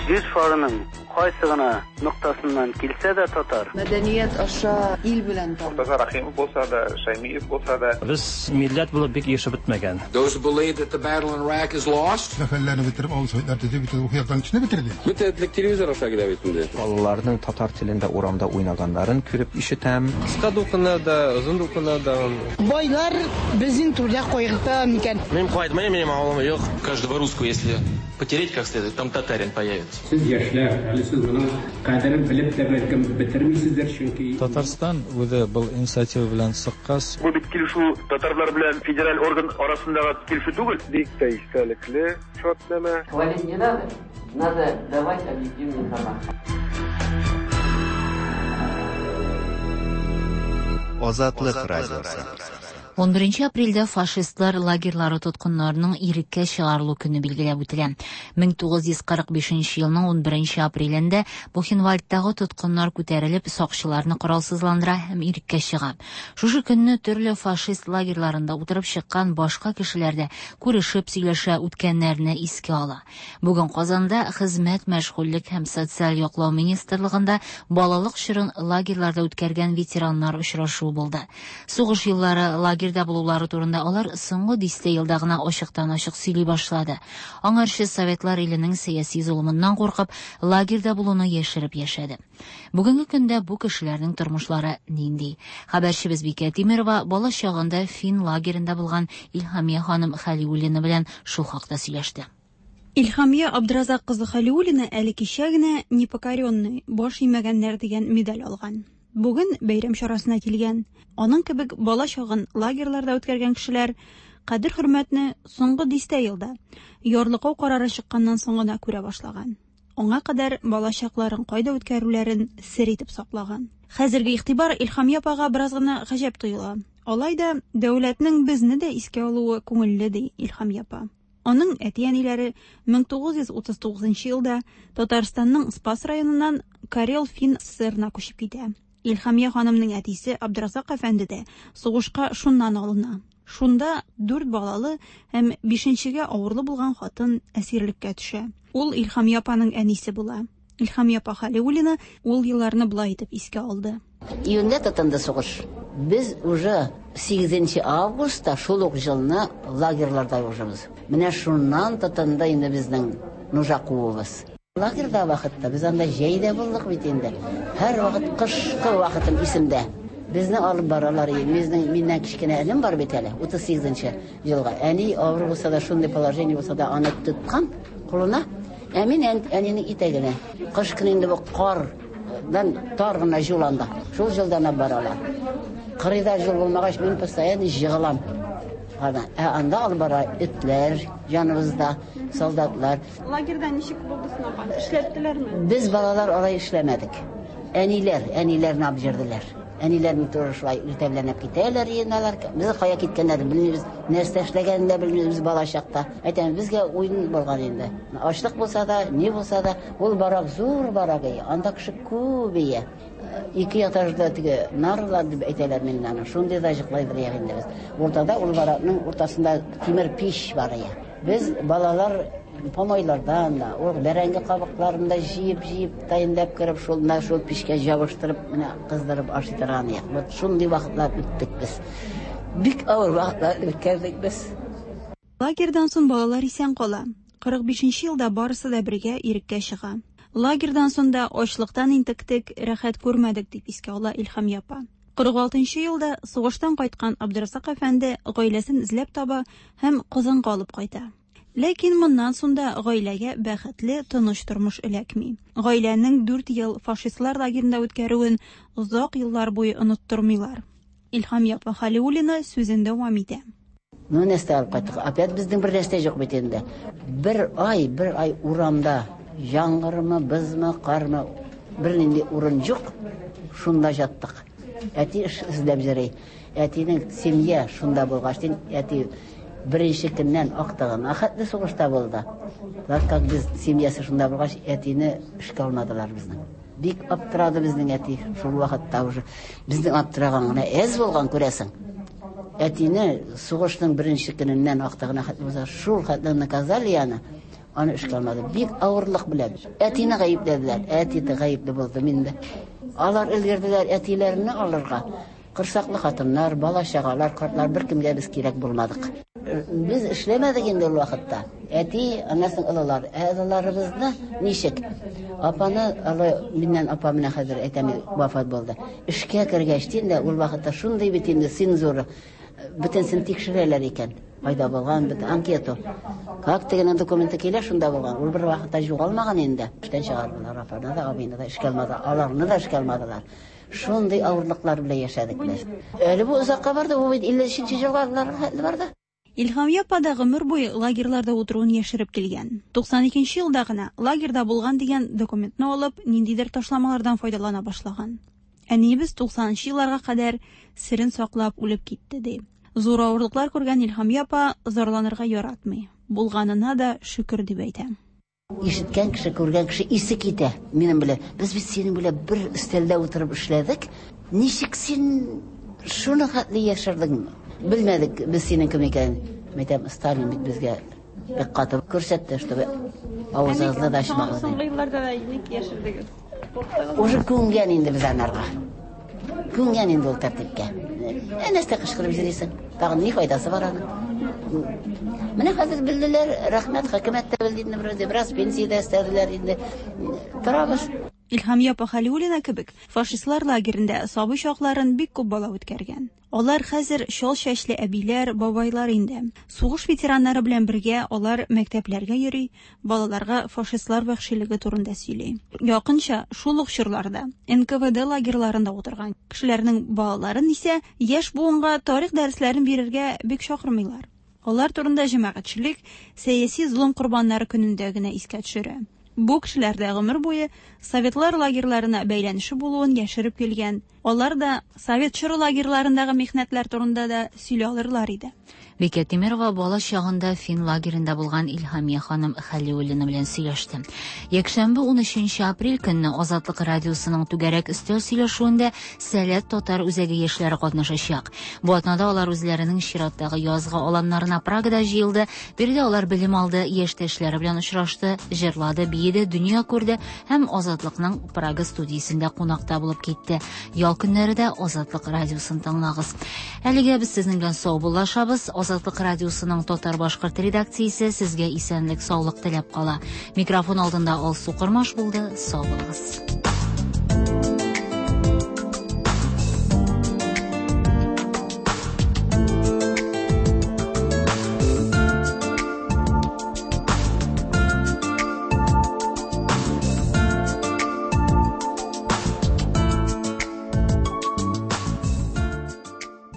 Җир шарының кайсы гына ноктасыннан килсә дә татар. Мәдәният аша ил белән таныш. Мортаза Рахимов булса да, Шаймиев булса да. Без милләт булып бик яшәп бетмәгән. Those who believe that the battle in Iraq is lost. Сәфәрләрне бетереп, авыл советлар төзеп, бөтен рухи яктан көчне бетерде. Бөтен телевизор аша килә бит инде. Балаларның татар телендә урамда уйнаганнарын күреп ишетәм. Кыска дулкыннар да, озын дулкыннар да. Байлар безнең турда кайгырта микән? Мин кайтмыйм, минем авылым юк. Каждого русского, если потереть как следует, там татарин появится. Сез яшьләр, әле сез моның кадерен белеп тә бәлкем бетермисездер, чөнки Татарстан үзе был инициатива белән чыккач. Бу бит килешү татарлар белән федераль орган арасындагы килешү түгел. Бик тә истәлекле шартнамә. Хвалить не надо, надо давать объективную информацию. Азатлык радиосы. ун беренче апрельдә фашистлар лагерьлары тоткыннарының иреккә чыгарылу көне билгеләп үтелә. мең тугыз йөз кырык бишенче елның ун беренче апрелендә Бухенвальдтагы тоткыннар күтәрелеп, сакчыларны коралсызландыра һәм иреккә чыга. Шушы көнне төрле фашист лагерьларында утырып чыккан башка кешеләр дә күрешеп сөйләшә, үткәннәрне искә ала. Бүген Казанда Хезмәт, мәшгульлек һәм социаль яклау министрлыгында балалык чорын лагерьларда үткәргән ветераннар очрашуы булды. Сугыш еллары лагерь булулары турында алар соңгы дистә елда гына ачыктан-ачык сөйли башлады. Аңарчы Советлар иленең сәяси золымыннан куркып, лагерьда булуны яшереп яшәде. Бүгенге көндә бу кешеләрнең тормышлары нинди? Хәбәрчебез Бикә Тимирова бала чагында фин лагеренда булган Илһамия ханым Хәлиуллина белән шул хакта сөйләште. Илһамия Абдразак кызы Хәлиуллина әле кичә генә «Непокоренный», баш имәгәннәр дигән медаль алган. Бүген бәйрәм чарасына килгән. Аның кебек бала чагын лагерьларда үткәргән кешеләр кадер-хөрмәтне соңгы дистә елда ярлыкау карары чыкканнан соң гына күрә башлаган. Аңа кадәр балачакларын кайда үткәрүләрен сер итеп саклаган. Хәзерге игътибар Илһамия апага бераз гына гаҗәп тоела. Алай да дәүләтнең безне дә искә алуы күңелле, ди Илһамия апа. Аның әти-әниләре мең тугыз йөз утыз тугызынчы елда Татарстанның Спас районыннан Карел-Фин СССРына күчеп китә. Илһамия ханымның әтисе Абдразак әфәнде дә сугышка шуннан алына. Шунда дүрт балалы һәм бишенчегә авырлы булган хатын әсирлеккә төшә. Ул Илһамия апаның әнисе була. Илһамия апа Халиуллина ул елларны болай итеп искә алды. Июньдә тотынды сугыш. Без уже сигезенче августта шул ук елны лагерьларда ужыбыз. Менә шуннан тотынды инде безнең нужа куыбыз. Лагерьда вакытта без анда җәйдә булдык бит инде. Һәр вакыт кышкы вакытым исемдә. Безне алып баралар, безнең миннән кечкенә энем бар бит әле, утыз сигезенче елга. Әни авыр булса да, шундый положение булса да, аны тоткан кулына. Ә мин әнинең итәгенә. Кыш көне инде бу кардан тар гына юл анда. Шул юлдан алып баралар. Кырыйда юл булмагач, мин постоянно җыгылам. Ана, ә анда алып бара этләр, яныбызда солдатлар. Лагерьда ничек булды соң, апа? Эшләттеләрме? Без балалар алай эшләмәдек. Әниләр, әниләрне алып җөрделәр. Әниләрне тоже шулай иртәләнеп китәләр, йыйналар. Без кая киткәннәрен белмибез, нәрсә эшләгәнен дә белмибез бала чакта. Әйтәм, безгә уен булган инде. Ачлык булса да, ни булса да, ул барак зур барак, анда кеше күп ие. Ике этажда теге нарлар дип әйтәләр миннән аны. Шундый да җыклайдыр инде без. Уртада ул баракның уртасында тимер пич бар ие. Без балалар помойлардан да, ул бәрәңге кабыкларын да җыеп-җыеп таянлап кереп, шул менә шул пичкә җабыштырып, менә кыздырып ашый торган идек. Вот шундый вакытлар үттек без. Бик авыр вакытлар үткәрдек без. Лагерьдан соң балалар исән кала. Кырык бишенче елда барысы да бергә иреккә чыга. Лагерьдан соң да ачлыктан интектек, рәхәт күрмәдек, дип искә ала Илһамия апа. Кырык алтынчы елда сугыштан кайткан Абдразак әфәнде гаиләсен эзләп таба һәм Казанга алып кайта. Ләкин моннан соң да гаиләгә бәхетле, тыныч тормыш эләкми. Гаиләнең дүрт ел фашистлар лагерында үткәрүен озак еллар буе оныттырмыйлар. Илһамия апа Халиуллина сүзен дәвам итә. Ну, нәрсә алып кайттык? Опять безнең бер нәрсә юк бит инде. Бер ай, бер ай урамда яңгырмы, бызмы, кармы, бернинди урын юк. Шунда яттык. Әти эш эзләп йөри. Әтинең семья шунда булгач, әти беренче көннән актыгын ахәтле сугышта булды. Так как без семьясы шунда булгач, әтине эшкә алмадылар безнең. Бик аптырады безнең әти шул вакытта уже. Безнең аптыраган гына әз булган, күрәсең. Әтине сугышның беренче көненнән актыгын ахәтле булса, шул хәтле наказали аны. Аны эшкә алмады. Бик авырлык белән. Әтине гаепләделәр. Әти дә гаепле булды миндә. Алар өлгерделәр әтиләрне алырга. Кырсаклы хатыннар, бала чагалар, картлар беркемгә без кирәк булмадык. Без эшләмәдек инде ул вакытта. Әти, аннан соң олылар. Ә олыларыбызны ничек? Апаны, алы миннән апа менә хәзер әйтәм, вафат булды. Эшкә кергәч инде ул вакытта шундый бит инде цензура. Бөтенсен тикшерәләр икән. Кайда булган, бит анкета. Как тегенең документы килә, шунда булган. Ул бер вакытта югалмаган инде. Эштән чыгардылар апаны да, абыйны да эшкә алмады. Аларны да эшкә алмадылар. Шундый авырлыклар белән яшәдек без. Әле бу озакка барды, бу бит илле өченче елга барды. Илһамия апа да гомер буе лагерьларда утыруын яшереп килгән. Туксан икенче елда гына лагерьда булган дигән документны алып, ниндидер ташламалардан файдалана башлаган. Әниебез туксанынчы елларга кадәр серен саклап үлеп китте, ди. Зур авырлыклар күргән Илһамия апа зарланырга яратмый. Булганына да шөкер дип әйтә. Ишеткән кеше, күргән кеше исе китә минем белән. Без бит синең белән бер өстәлдә утырып эшләдек. Ничек син шуны хәтле яшердең? Белмәдек без синең кем икәнен. Мәйтәм, Сталин бит безгә бик каты күрсәтте, чтобы авызыгызны да ачмагыз. Соңгы елларда да ник яшердегез? Уже күнгән инде без анарга. Күнгән инде ул тәртипкә. Ә нәрсә кычкырып йөрисең? Тагын ни файдасы бар аның? Менә хәзер белделәр, рәхмәт, хөкүмәт тә белде инде, бераз, бераз пенсия дә өстәделәр инде. Торабыз. Илһамия апа Хәлиуллина кебек фашистлар лагерендә сабый чакларын бик күп бала үткәргән. Алар хәзер чал чәчле әбиләр, бабайлар инде. Сугыш ветераннары белән бергә алар мәктәпләргә йөри, балаларга фашистлар вәхшилеге турында сөйли. Якынча шул ук чорларда Н К В Д лагерьларында утырган кешеләрнең балаларын исә яшь буынга тарих дәресләрен бирергә бик чакырмыйлар. Алар турында җәмәгатьчелек сәяси золым корбаннары көнендә генә искә төшерә. Бу кешеләр дә гомер буе советлар лагерьларына бәйләнеше булуын яшереп килгән. Алар да совет чоры лагерьларындагы михнәтләр турында да сөйли алырлар иде. Бикә Тимирова бала чагында фин лагерендә булган Илһамия ханым Хәлиуллина белән сөйләште. Якшәмбе ун өченче апрель көнне Азатлык радиосының түгәрәк өстәл сөйләшүендә Сәләт татар үзәге яшьләре катнашачак. Бу атнада алар үзләренең чираттагы язгы аланнарына Прагада җыелды. Биредә алар белем алды, яшьтәшләре белән очрашты, җырлады, биеде, дөнья күрде һәм Азатлыкның Прага студиясендә кунакта булып китте. Ял көннәре дә Азатлык радиосын тыңлагыз. Әлегә без сезнең белән саубуллашабыз. Азатлык радиосының татар-башкорт редакциясе сезгә исәнлек, саулык теләп кала. Микрофон алдында Алсу Кормаш булды. Сау булыгыз.